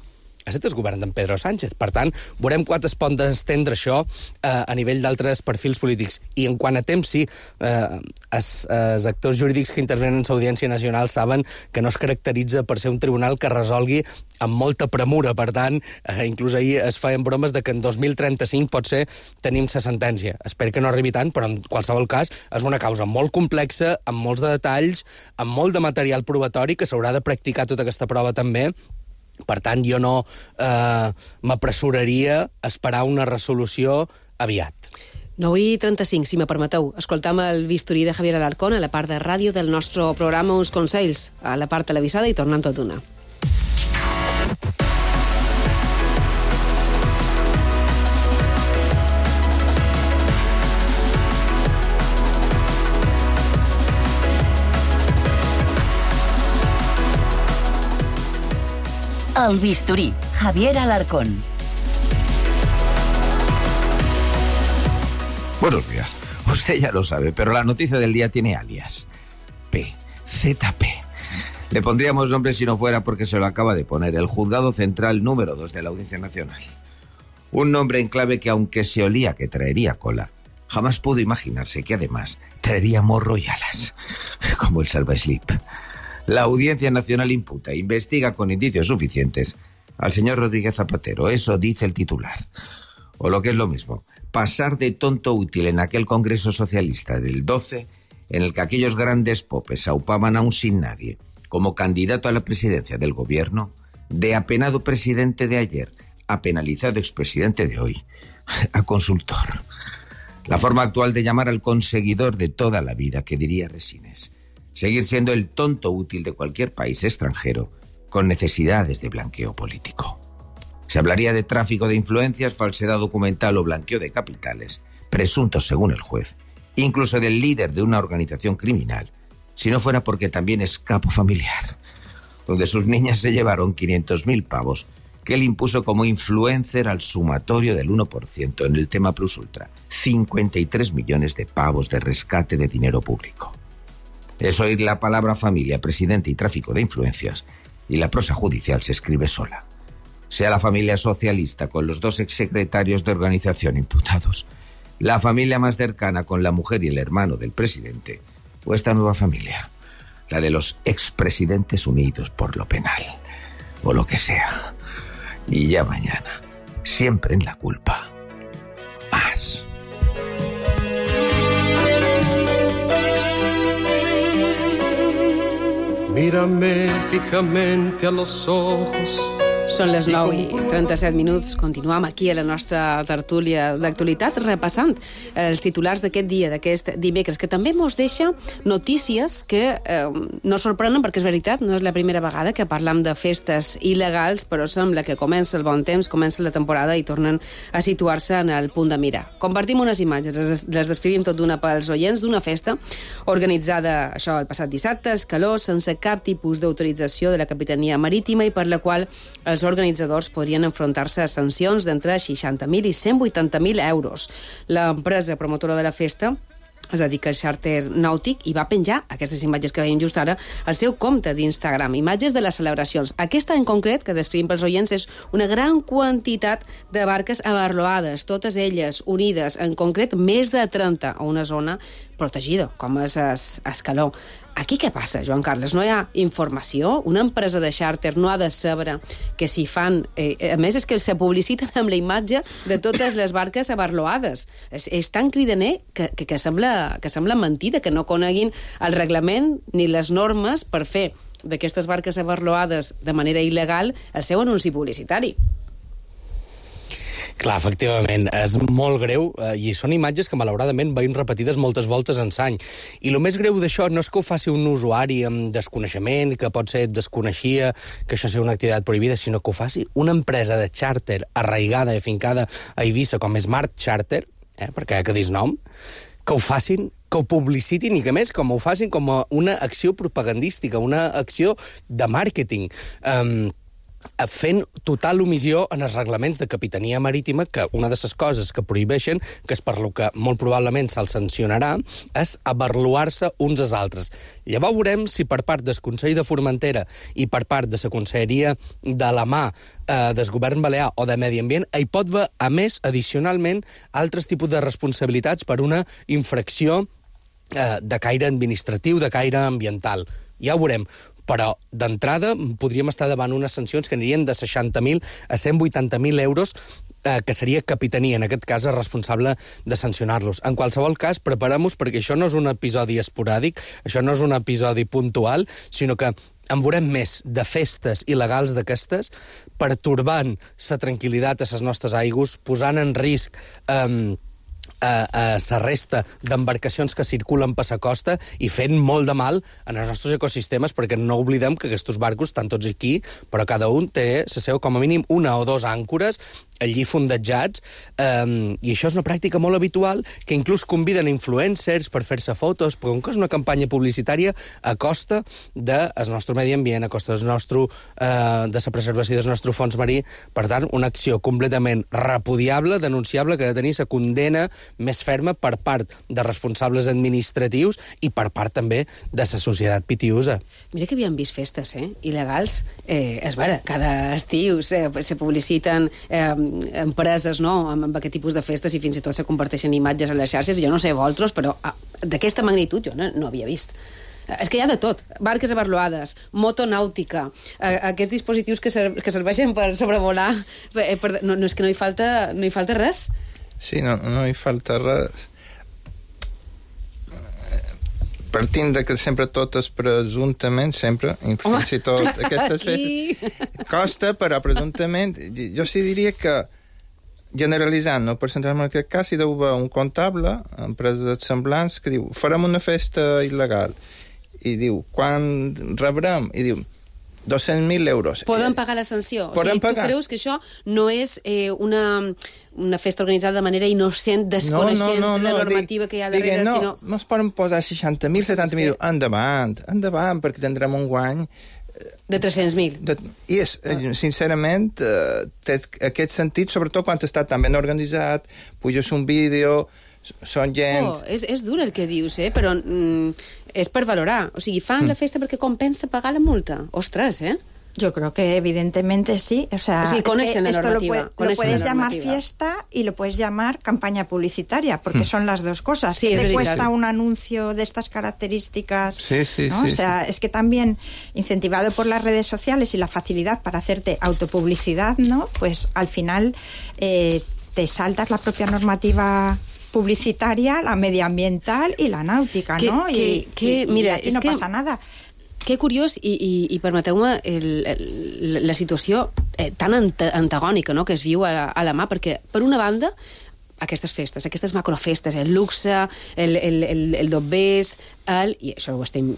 Aquest és el govern d'en Pedro Sánchez. Per tant, veurem quan es pot estendre això a nivell d'altres perfils polítics. I en quant a temps, sí, els actors jurídics que intervenen en l'Audiència Nacional saben que no es caracteritza per ser un tribunal que resolgui amb molta premura. Per tant, inclús ahir es feien bromes de que en 2035 potser tenim la sentència. Espero que no arribi tant, però en qualsevol cas és una causa molt complexa, amb molts de detalls, amb molt de material probatori, que s'haurà de practicar tota aquesta prova també. Per tant, jo no m'apressuraria a esperar una resolució aviat. 9:35, si me permeteu. Escoltam el bisturí de Javier Alarcón a la part de ràdio del nostre programa Uns Consells, a la part televisada, i tornem tot d'una. El bisturí, Javier Alarcón. Buenos días. Usted ya lo sabe, pero la noticia del día tiene alias. ZP. Le pondríamos nombre si no fuera porque se lo acaba de poner el Juzgado Central número 2 de la Audiencia Nacional. Un nombre en clave que, aunque se olía que traería cola, jamás pudo imaginarse que además traería morro y alas, como el salvaslip. La Audiencia Nacional imputa, investiga con indicios suficientes al señor Rodríguez Zapatero. Eso dice el titular. O lo que es lo mismo, pasar de tonto útil en aquel Congreso Socialista del 12, en el que aquellos grandes popes aupaban a un sin nadie como candidato a la presidencia del gobierno, de apenado presidente de ayer a penalizado expresidente de hoy, a consultor. La forma actual de llamar al conseguidor de toda la vida, que diría Resines. Seguir siendo el tonto útil de cualquier país extranjero con necesidades de blanqueo político. Se hablaría de tráfico de influencias, falsedad documental o blanqueo de capitales, presuntos según el juez, incluso del líder de una organización criminal, si no fuera porque también es capo familiar, donde sus niñas se llevaron 500.000 pavos que él impuso como influencer al sumatorio del 1% en el tema Plus Ultra, 53 millones de pavos de rescate de dinero público. Es oír la palabra familia, presidente y tráfico de influencias, y la prosa judicial se escribe sola. Sea la familia socialista con los 2 exsecretarios de organización imputados, la familia más cercana con la mujer y el hermano del presidente, o esta nueva familia, la de los expresidentes unidos por lo penal, o lo que sea. Y ya mañana, siempre en la culpa, más. Mírame fijamente a los ojos. Són les 9:37. Continuam aquí a la nostra tertúlia d'actualitat repassant els titulars d'aquest dia, d'aquest dimecres, que també mos deixa notícies que no sorprenen, perquè és veritat, no és la primera vegada que parlam de festes il·legals, però sembla que comença el bon temps, comença la temporada i tornen a situar-se en el punt de mira. Compartim unes imatges, les descrivim tot d'una pels oients, d'una festa organitzada, això, el passat dissabte, a Escaló, sense cap tipus d'autorització de la Capitania Marítima i per la qual els organitzadors podrien enfrontar-se a sancions d'entre 60.000 i 180.000 euros. L'empresa promotora de la festa es dedica al xàrter nàutic i va penjar aquestes imatges que veiem just ara al seu compte d'Instagram, imatges de les celebracions. Aquesta en concret, que descrivim pels oients, és una gran quantitat de barques abarloades, totes elles unides, en concret més de 30, a una zona protegida, com és Escaló. Aquí què passa, Joan Carles? No hi ha informació? Una empresa de xàrter no ha de saber que s'hi fan... a més, és que se publiciten amb la imatge de totes les barques abarloades. És tan cridaner que sembla mentida, que no coneguin el reglament ni les normes per fer d'aquestes barques abarloades de manera il·legal el seu anunci publicitari. Clar, efectivament, és molt greu i són imatges que malauradament veiem repetides moltes voltes en l'any. I el més greu d'això no és que ho faci un usuari amb desconeixement, que pot ser desconeixia que això sigui una activitat prohibida, sinó que ho faci una empresa de xàrter arraigada i afincada a Eivissa com Smart Charter, perquè que dis nom, que ho facin, que ho publicitin i que més com ho facin com una acció propagandística, una acció de màrqueting. fent total omissió en els reglaments de capitania marítima, que una de les coses que prohibeixen, que és per lo que molt probablement se'ls sancionarà, és avaluar-se uns als altres. Llavors veurem si per part del Consell de Formentera i per part de la Conselleria de la mà del Govern Balear o de Medi Ambient, hi pot haver, a més, addicionalment, altres tipus de responsabilitats per una infracció de caire administratiu, de caire ambiental. Ja ho veurem. Però, d'entrada, podríem estar davant unes sancions que anirien de 60.000 a 180.000 euros, que seria capitania, en aquest cas, responsable de sancionar-los. En qualsevol cas, preparem-nos, perquè això no és un episodi esporàdic, això no és un episodi puntual, sinó que en veurem més de festes il·legals d'aquestes, pertorbant la tranquil·litat a les nostres aigües, posant en risc la resta d'embarcacions que circulen per la costa i fent molt de mal en els nostres ecosistemes, perquè no oblidem que aquests barcos estan tots aquí, però cada un té la seva, com a mínim, 1 o 2 àncores allí fondejats, i això és una pràctica molt habitual, que inclús conviden influencers per fer-se fotos, però com que és una campanya publicitària a costa del nostre medi ambient, a costa de la preservació del nostre fons marí. Per tant, una acció completament repudiable, denunciable, que ha de tenir la condena més ferma per part de responsables administratius i per part també de la societat pitiusa. Mira que havíem vist festes, il·legals. És vera, cada estiu se publiciten empreses, no?, amb aquest tipus de festes i fins i tot se comparteixen imatges a les xarxes. Jo no sé vosaltres, però d'aquesta magnitud jo no havia vist. És que hi ha de tot. Barques avaluades, motonàutica, aquests dispositius que serveixen per sobrevolar. No és que no hi falta res. Sí, no hi falta res. Partint de que sempre tot és presumptament, sempre, fins i tot aquestes festes, costa, però presumptament, jo sí diria que, generalitzant, no per centrar-me en aquest cas, hi deu haver un comptable, empreses semblants, que diu, farem una festa il·legal, i diu, quan rebrem? I diu, 200.000 euros. Poden pagar la sanció. O sigui, tu creus que això no és una festa organitzada de manera innocent, desconeixent la normativa que hi ha darrere, sinó... No es poden posar 60.000, 70.000, endavant, perquè tindrem un guany... De 300.000. I sincerament, té aquest sentit, sobretot quan està tan ben organitzat, puges un vídeo, són gent... És dur el que dius, però és per valorar. O sigui, fan la festa perquè compensa pagar la multa. Ostres, Yo creo que evidentemente sí. O sea, esto lo puedes llamar fiesta y lo puedes llamar campaña publicitaria, porque son las dos cosas. Sí, ¿Qué te cuesta un anuncio de estas características? Sí, ¿no? O sea, es que también, incentivado por las redes sociales y la facilidad para hacerte autopublicidad, ¿no? Pues al final te saltas la propia normativa publicitaria, la medioambiental y la náutica, ¿no? Mira, aquí no pasa nada. Que curiós, i permeteu-me la situació tan antagònica, no?, que es viu a la mà, perquè, per una banda, aquestes festes, aquestes macrofestes, el luxe, el dobbers, i això ho estem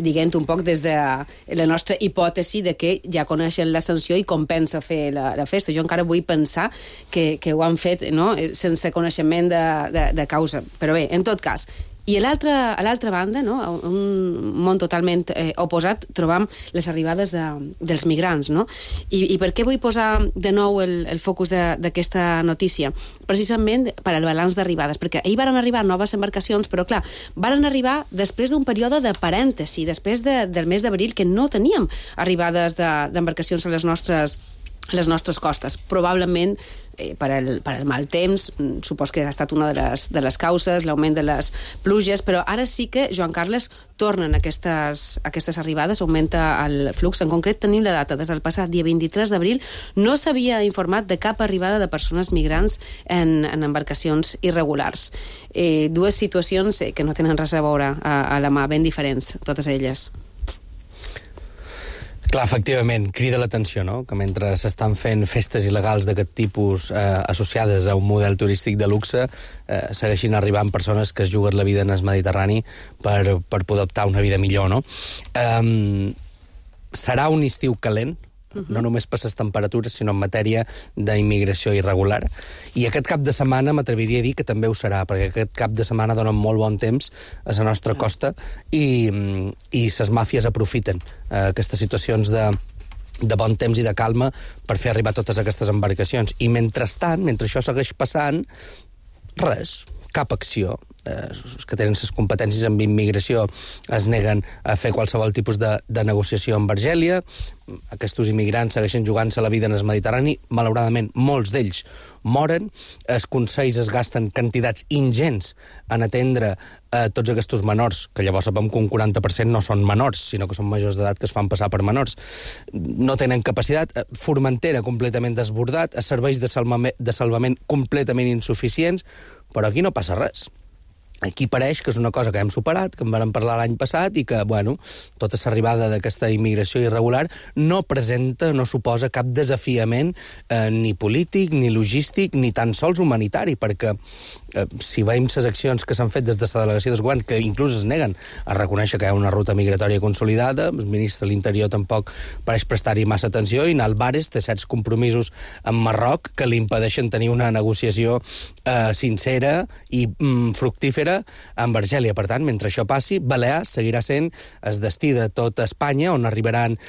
dient un poc des de la nostra hipòtesi de que ja coneixen la sanció i compensa fer la festa. Jo encara vull pensar que ho han fet, no?, sense coneixement de causa. Però bé, en tot cas... I a l'altra banda, no, un món totalment oposat, trobam les arribades dels migrants, no? I per què vull posar de nou el focus d'aquesta notícia? Precisament per al balanç d'arribades, perquè ahir varen arribar noves embarcacions, però clar, varen arribar després d'un període de parèntesi, després del mes d'abril, que no teníem arribades d'embarcacions a les nostres costes. Probablement per al mal temps, supos que ha estat una de les causes, l'augment de les pluges, però ara sí que, Joan Carles, tornen aquestes arribades, augmenta el flux. En concret, tenim la data, des del passat dia 23 d'abril, no s'havia informat de cap arribada de persones migrants en embarcacions irregulars. Dues situacions que no tenen res a veure a la mà, ben diferents, totes elles. Clar, efectivament, crida l'atenció, no?, que mentre s'estan fent festes il·legals d'aquest tipus associades a un model turístic de luxe, segueixin arribant persones que es juguen la vida en el Mediterrani per poder optar una vida millor, no? Serà un estiu calent, no només per les temperatures, sinó en matèria d'immigració irregular. I aquest cap de setmana m'atreviria a dir que també ho serà, perquè aquest cap de setmana dona molt bon temps a la nostra costa i les màfies aprofiten aquestes situacions de bon temps i de calma per fer arribar totes aquestes embarcacions. I mentrestant, mentre això segueix passant, res, cap acció. Els que tenen les competències en immigració es neguen a fer qualsevol tipus de negociació amb Argèlia. Aquests immigrants segueixen jugant-se la vida en el Mediterrani. Malauradament, molts d'ells moren. Els consells es gasten quantitats ingents en atendre tots aquests menors, que llavors sabem que un 40% no són menors, sinó que són majors d'edat que es fan passar per menors. No tenen capacitat. Formentera completament desbordat, els serveis de salvament completament insuficients, però aquí no passa res. Aquí pareix que és una cosa que hem superat, que en vam parlar l'any passat i que, bueno, tota l'arribada d'aquesta immigració irregular no suposa cap desafiament ni polític, ni logístic, ni tan sols humanitari, perquè si veiem les accions que s'han fet des de la delegació del govern, que inclús es neguen a reconèixer que hi ha una ruta migratòria consolidada, el ministre de l'Interior tampoc pareix prestar-hi massa atenció, i Álvarez té certs compromisos amb Marroc que li impedeixen tenir una negociació sincera i fructífera amb Argèlia. Per tant, mentre això passi, Balears seguirà sent el destí de tota Espanya, on arribaran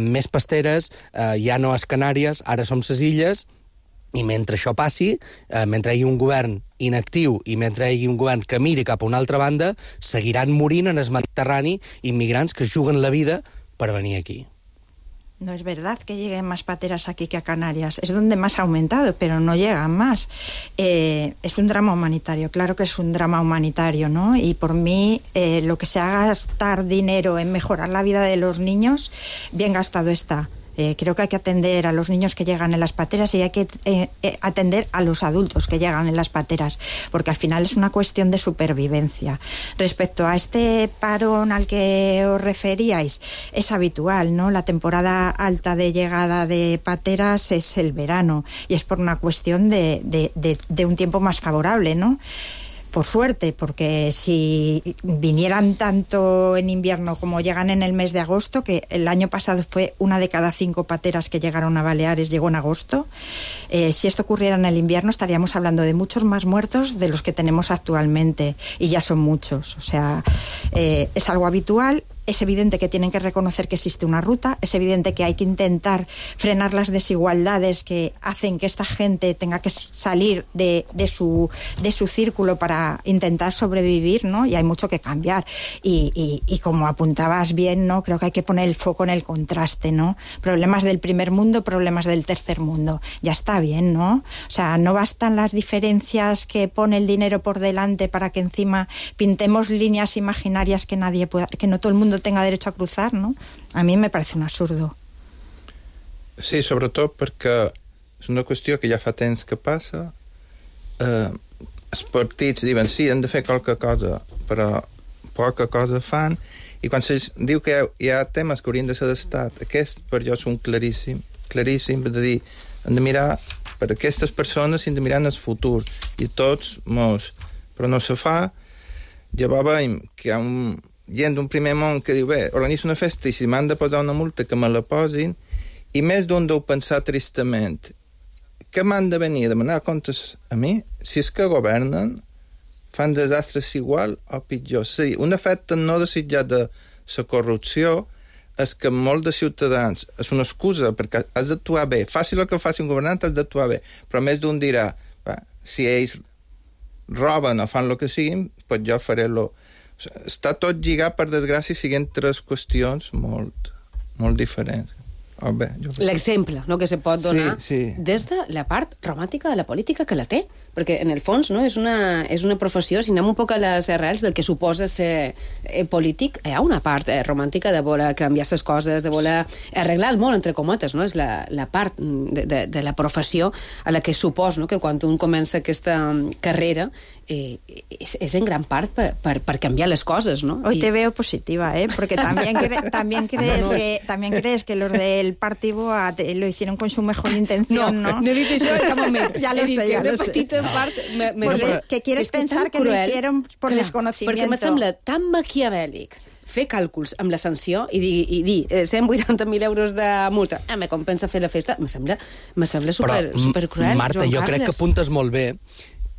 més pasteres, ja no a les Canàries, ara som les illes, i mentre això passi, mentre hi hagi un govern inactiu i mentre hi hagi un govern que miri cap a una altra banda, seguiran morint en el Mediterrani immigrants que es juguen la vida per venir aquí. No es verdad que lleguen más pateras aquí que a Canarias. Es donde más ha aumentado, pero no llegan más. Es un drama humanitario, claro que es un drama humanitario, ¿no? Y por mí, lo que se haga gastar dinero en mejorar la vida de los niños, bien gastado está. Creo que hay que atender a los niños que llegan en las pateras y hay que atender a los adultos que llegan en las pateras, porque al final es una cuestión de supervivencia. Respecto a este parón al que os referíais, es habitual, ¿no? La temporada alta de llegada de pateras es el verano y es por una cuestión de un tiempo más favorable, ¿no? Por suerte, porque si vinieran tanto en invierno como llegan en el mes de agosto, que el año pasado fue 1 de cada 5 pateras que llegaron a Baleares llegó en agosto, si esto ocurriera en el invierno estaríamos hablando de muchos más muertos de los que tenemos actualmente, y ya son muchos. O sea, es algo habitual. Es evidente que tienen que reconocer que existe una ruta, es evidente que hay que intentar frenar las desigualdades que hacen que esta gente tenga que salir de su círculo para intentar sobrevivir, ¿no? Y hay mucho que cambiar. Y como apuntabas bien, ¿no? Creo que hay que poner el foco en el contraste, ¿no? Problemas del primer mundo, problemas del tercer mundo. Ya está bien, ¿no? O sea, no bastan las diferencias que pone el dinero por delante para que encima pintemos líneas imaginarias que nadie pueda, que no todo el mundo tenga derecho a cruzar, no? A mi me parece un absurdo. Sí, sobretot perquè és una qüestió que ja fa temps que passa. Els partits diuen sí, hem de fer qualque cosa, però poca cosa fan, i quan se diu que hi ha temes que haurien de ser d'estat, aquests per jo són claríssims, de dir, hem de mirar per aquestes persones i hem de mirar en el futur, i tots molts, però no se fa. Llavors veiem que hi ha gent d'un primer món que diu, bé, organitzo una festa i si m'han de posar una multa que me la posin, i més d'un deu pensar tristament que m'han de venir a demanar comptes a mi si és que governen, fan desastres igual o pitjor. És a dir, un efecte no desitjat de la corrupció és que molts de ciutadans és una excusa perquè has d'actuar bé. Faci el que faci un governant, has d'actuar bé, però més d'un dirà, si ells roben o fan el que siguin, doncs jo faré-lo. Està tot lligat, per desgràcia, siguent 3 qüestions molt diferents. L'exemple, no?, que se pot donar des de la part romàntica de la política, que la té, perquè en el fons, no, és una professió, si anem un poc a les arrels del que suposa ser polític, hi ha una part romàntica de voler canviar les coses, de voler arreglar el món, entre cometes, no? És la part de la professió a la que supos, no?, que quan un comença aquesta carrera es en gran part per canviar les coses, ¿no? Hoy te veo positiva, porque también crees que los del Partido lo hicieron con su mejor intención, ¿no? No he dit això, cap moment. Ya lo sé, ya lo sé. Petita part... Que quieres pensar que lo hicieron por desconocimiento. Perquè me sembla tan maquiavèlic fer càlculs amb la sanció i dir 180.000 euros de multa, me compensa fer la festa, me sembla supercruel. Marta, jo crec que apuntes molt bé.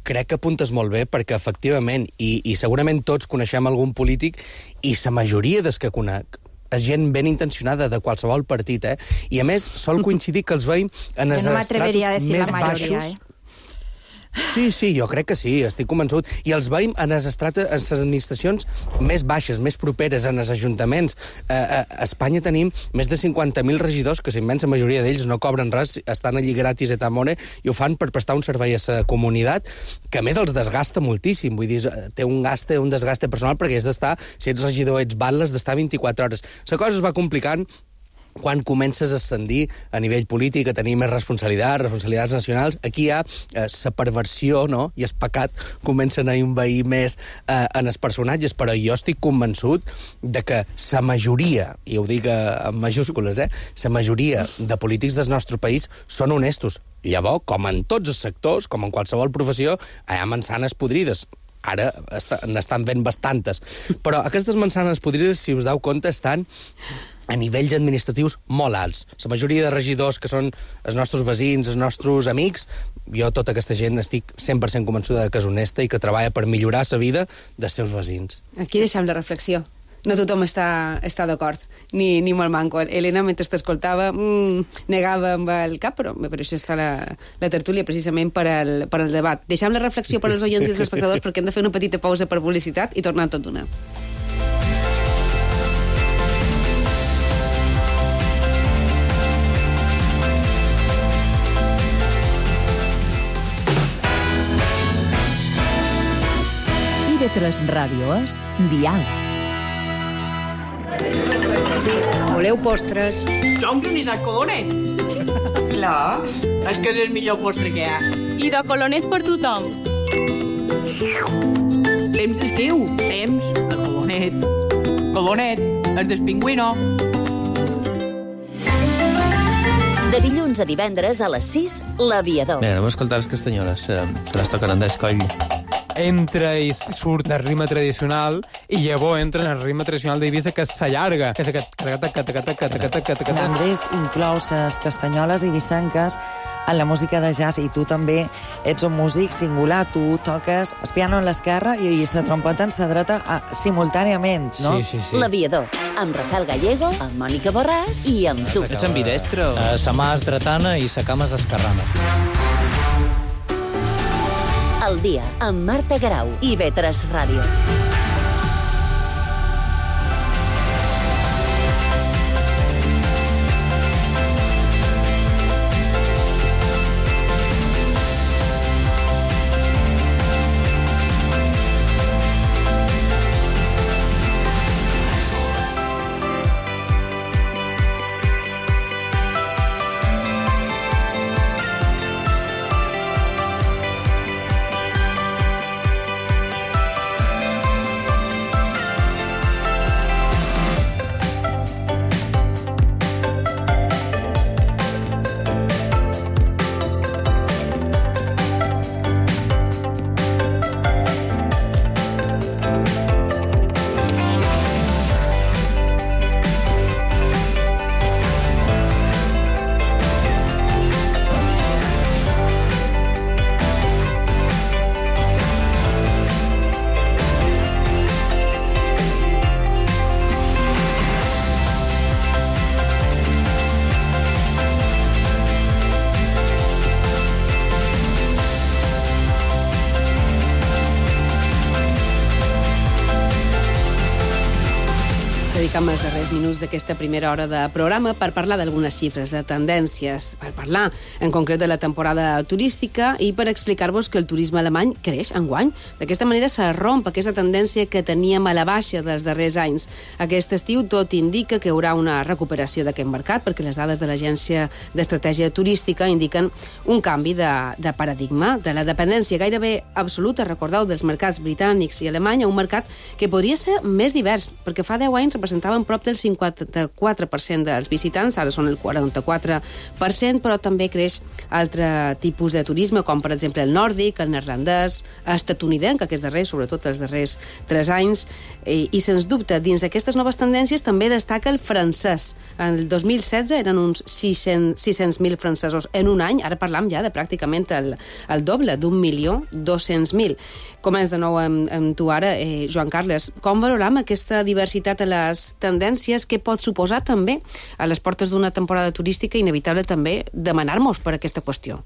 Crec que apuntes molt bé perquè, efectivament, i segurament tots coneixem algun polític, i la majoria dels que conec és gent ben intencionada de qualsevol partit, I a més sol coincidir que els veiem en els estratos més baixos. Sí, jo crec que sí, estic convençut. I els veiem en les administracions més baixes, més properes, en els ajuntaments. A Espanya tenim més de 50.000 regidors, que la immensa majoria d'ells no cobren res, estan allí gratis et amore, i ho fan per prestar un servei a la comunitat, que a més els desgasta moltíssim. Vull dir, té un desgaste personal, perquè has d'estar, si ets regidor, ets batles, d'estar 24 hores. La cosa es va complicant quan comences a ascendir a nivell polític, a tenir més responsabilitats nacionals. Aquí hi ha la perversió, no? I el pecat comencen a envair més en els personatges, però jo estic convençut de que la majoria, i ho dic en majúscules, la majoria de polítics del nostre país són honestos. Llavors, com en tots els sectors, com en qualsevol professió, hi ha mansanes podrides. Ara n'estan fent bastantes. Però aquestes mansanes podrides, si us dau compte, estan a nivells administratius molt alts. La majoria de regidors que són els nostres veïns, els nostres amics, jo tota aquesta gent estic 100% convençuda que és honesta i que treballa per millorar la vida dels seus veïns. Aquí deixem la reflexió. No tothom està d'acord, ni molt manco. Helena, mentre t'escoltava, negava amb el cap, però per això està la tertúlia, precisament per al debat. Deixem la reflexió per als oients i els espectadors, perquè hem de fer una petita pausa per publicitat i tornar tot d'una. IB3 Ràdio és Dial. Voleu postres? Jo un granissat colonet. Clar. És que és el millor postre que hi ha. I de colonet per tothom. Temps d'estiu. Temps de colonet. Colonet, el del pingüino. De dilluns a divendres a les 6, l'Aviador. Bé, anem a escoltar les castanyoles. Se les toquen en d'escoll. Entra i surt del ritme tradicional i llavors entra en el ritme tradicional d'Eivissa, que s'allarga, que és aquest... Andrés inclou les castanyoles eivissenques en la música de jazz, i tu també ets un músic singular, tu toques el piano en l'esquerra i la trompeta en la dreta simultàniament, no? Sí. L'Aviador, amb Rafael Gallego, amb Mònica Borràs i amb tu. Ets ambidestre? Sa mà és dretana i sa cama és esquerrana. El dia, amb Marta Garau i IB3 Ràdio. Dedicam els darrers minuts d'aquesta primera hora de programa per parlar d'algunes xifres, de tendències, per parlar en concret de la temporada turística i per explicar-vos que el turisme alemany creix enguany. D'aquesta manera se romp aquesta tendència que teníem a la baixa dels darrers anys. Aquest estiu tot indica que hi haurà una recuperació d'aquest mercat, perquè les dades de l'Agència d'Estratègia Turística indiquen un canvi de paradigma, de la dependència gairebé absoluta, recordeu, dels mercats britànics i alemany, a un mercat que podria ser més divers, perquè fa 10 anys representaven prop del 54% dels visitants, ara són el 44%, però també creix altre tipus de turisme, com per exemple el nòrdic, el neerlandès, estatunidenc, aquests darrers, sobretot els darrers 3 anys, i sens dubte, dins d'aquestes noves tendències també destaca el francès. En el 2016 eren uns 600.000 francesos en un any, ara parlam ja de pràcticament el doble, d'1.200.000. Començ de nou amb tu ara, Joan Carles. Com valoram aquesta diversitat a les tendències, què pot suposar també a les portes d'una temporada turística, inevitable també demanar-nos per aquesta qüestió.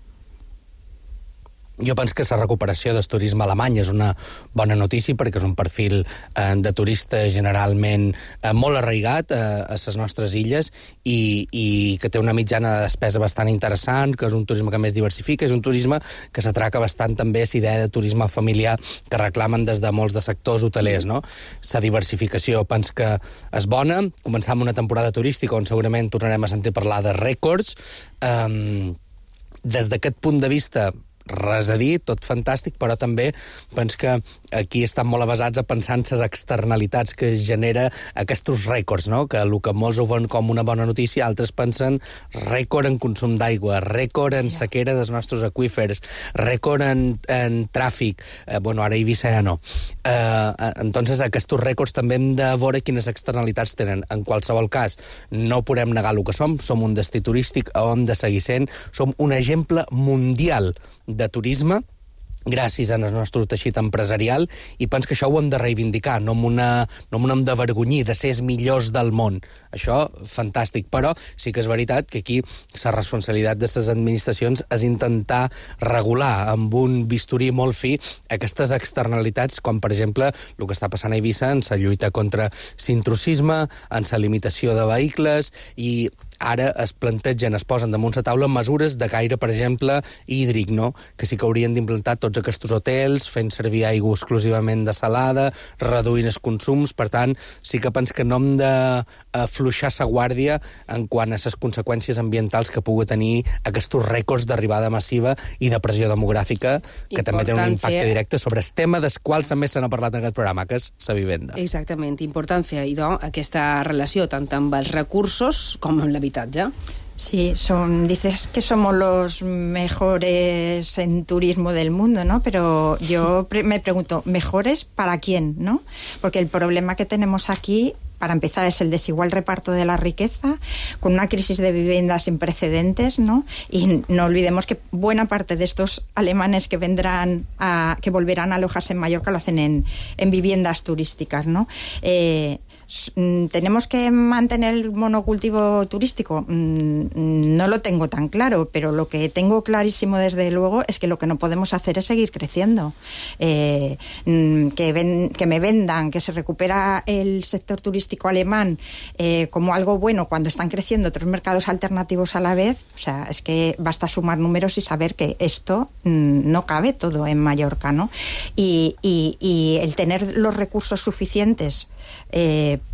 Jo penso que la recuperació del turisme alemany és una bona notícia perquè és un perfil de turista generalment molt arraigat a les nostres illes i que té una mitjana de despesa bastant interessant, que és un turisme que més diversifica, és un turisme que s'atraca bastant també a la idea de turisme familiar que reclamen des de molts de sectors hotelers, no? La diversificació penso que és bona. Començam una temporada turística on segurament tornarem a sentir parlar de rècords. Des d'aquest punt de vista, res a dir, tot fantàstic, però també penso que aquí estan molt avasats a pensar en les externalitats que genera aquests rècords, no? Que el que molts ho veuen com una bona notícia, altres pensen rècord en consum d'aigua, rècord en sequera dels nostres aqüífers, rècord en tràfic, bueno, ara Eivissa ja no. Entonces, aquests rècords també hem de veure quines externalitats tenen. En qualsevol cas, no podem negar el que som un destí turístic, hem de seguir sent, som un exemple mundial de turisme, gràcies al nostre teixit empresarial, i penso que això ho hem de reivindicar, no hem d'avergonyir de ser els millors del món. Això, fantàstic, però sí que és veritat que aquí la responsabilitat de les administracions és intentar regular amb un bisturí molt fi aquestes externalitats, com per exemple el que està passant a Eivissa en la lluita contra l'intrusisme, en la limitació de vehicles, i ara es plantegen, es posen damunt la taula mesures de caire, per exemple, hídric, no? Que sí que haurien d'implantar tots aquests hotels, fent servir aigua exclusivament dessalada, reduint els consums. Per tant, sí que penso que no hem d'afluixar la guàrdia en quant a les conseqüències ambientals que pugui tenir aquests rècords d'arribada massiva i de pressió demogràfica, que també tenen un impacte directe sobre el tema dels quals també se n'ha parlat en aquest programa, que és la vivenda. Exactament, important fer, idò, aquesta relació tant amb els recursos com amb l'habitatge. Sí, dices que somos los mejores en turismo del mundo, ¿no? Pero yo me pregunto, ¿mejores para quién, no? Porque el problema que tenemos aquí, para empezar, es el desigual reparto de la riqueza, con una crisis de vivienda sin precedentes, ¿no? Y no olvidemos que buena parte de estos alemanes que que volverán a alojarse en Mallorca lo hacen en viviendas turísticas, ¿no? ¿Tenemos que mantener el monocultivo turístico? No lo tengo tan claro, pero lo que tengo clarísimo desde luego es que lo que no podemos hacer es seguir creciendo. Que me vendan que se recupera el sector turístico alemán como algo bueno cuando están creciendo otros mercados alternativos a la vez, o sea, es que basta sumar números y saber que esto no cabe todo en Mallorca, ¿no? Y el tener los recursos suficientes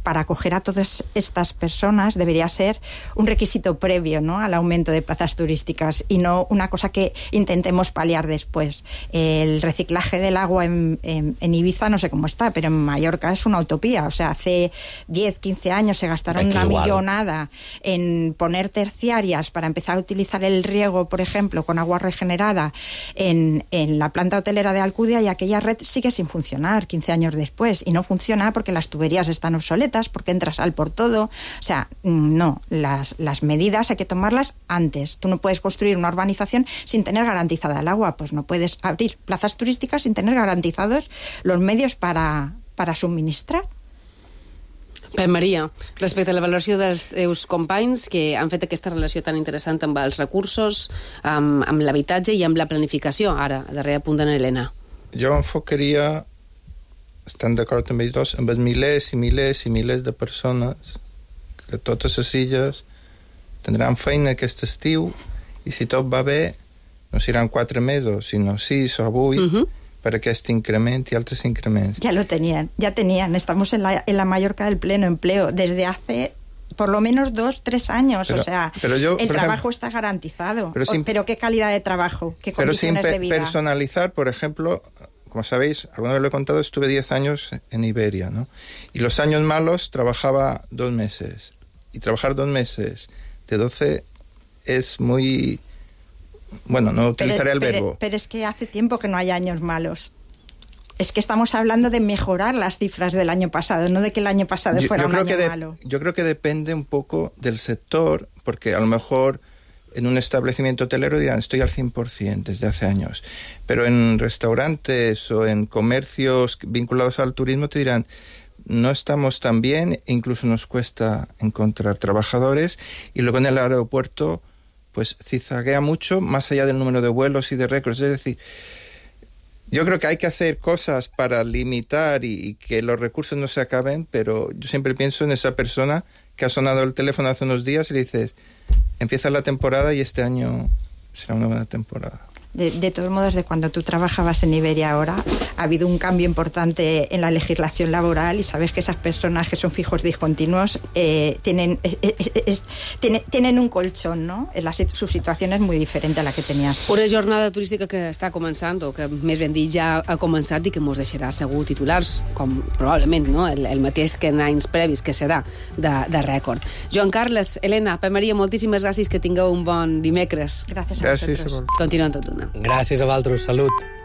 para acoger a todas estas personas debería ser un requisito previo, ¿no?, al aumento de plazas turísticas y no una cosa que intentemos paliar después. El reciclaje del agua en Ibiza no sé cómo está, pero en Mallorca es una utopía. O sea, hace 10, 15 años se gastaron una millonada en poner terciarias para empezar a utilizar el riego, por ejemplo, con agua regenerada en la planta hotelera de Alcudia, y aquella red sigue sin funcionar 15 años después, y no funciona porque las tuberías están obsoletas, porque entra sal por todo. O sea, no, las medidas hay que tomarlas antes. Tú no puedes construir una urbanización sin tener garantizada el agua, pues no puedes abrir plazas turísticas sin tener garantizados los medios para suministrar. Pep Maria, respecte a la valoració dels teus companys que han fet aquesta relació tan interessant amb els recursos, amb l'habitatge i amb la planificació, ara, a darrere punt d'en Helena. Jo enfocaria, estan d'acord amb ells dos, amb els milers i milers i milers de persones que totes les illes tindran feina aquest estiu, i si tot va bé no seran 4 mesos, sinó 6 o 8, per aquest increment y altres increments. Ya tenían. Estamos en la Mallorca del pleno empleo desde hace por lo menos 2-3 años. O sea, el trabajo está garantizado. Pero ¿qué calidad de trabajo? ¿Qué condiciones de vida? Personalizar, por ejemplo, como sabéis, alguna vez lo he contado, estuve 10 años en Iberia, ¿no? Y los años malos trabajaba 2 meses. Y trabajar 2 meses de 12 es muy... Bueno, no utilizaré el verbo. Pero es que hace tiempo que no hay años malos. Es que estamos hablando de mejorar las cifras del año pasado, no de que el año pasado fuera un año malo. Yo creo que depende un poco del sector, porque a lo mejor en un establecimiento hotelero dirán estoy al 100% desde hace años, pero en restaurantes o en comercios vinculados al turismo te dirán no estamos tan bien, incluso nos cuesta encontrar trabajadores, y luego en el aeropuerto pues zigzaguea mucho, más allá del número de vuelos y de récords. Es decir, yo creo que hay que hacer cosas para limitar y que los recursos no se acaben, pero yo siempre pienso en esa persona que ha sonado el teléfono hace unos días y le dices, empieza la temporada y este año será una buena temporada. De todos modos, de cuando tú trabajabas en Iberia ahora, ha habido un cambio importante en la legislación laboral y sabes que esas personas que son fijos discontinuos tienen un colchón, no? Su situació és molt diferent a la que tenies. Una jornada turística que està començant, o que més ben dit ja ha començat i que mos deixarà segur titulars, com probablement no? el mateix que en anys previs, que serà de rècord. Joan Carles, Helena, Pep Maria, moltíssimes gràcies, que tingueu un bon dimecres. Gràcies a vosaltres. Continuem tot una. Gràcies a vosaltres, salut.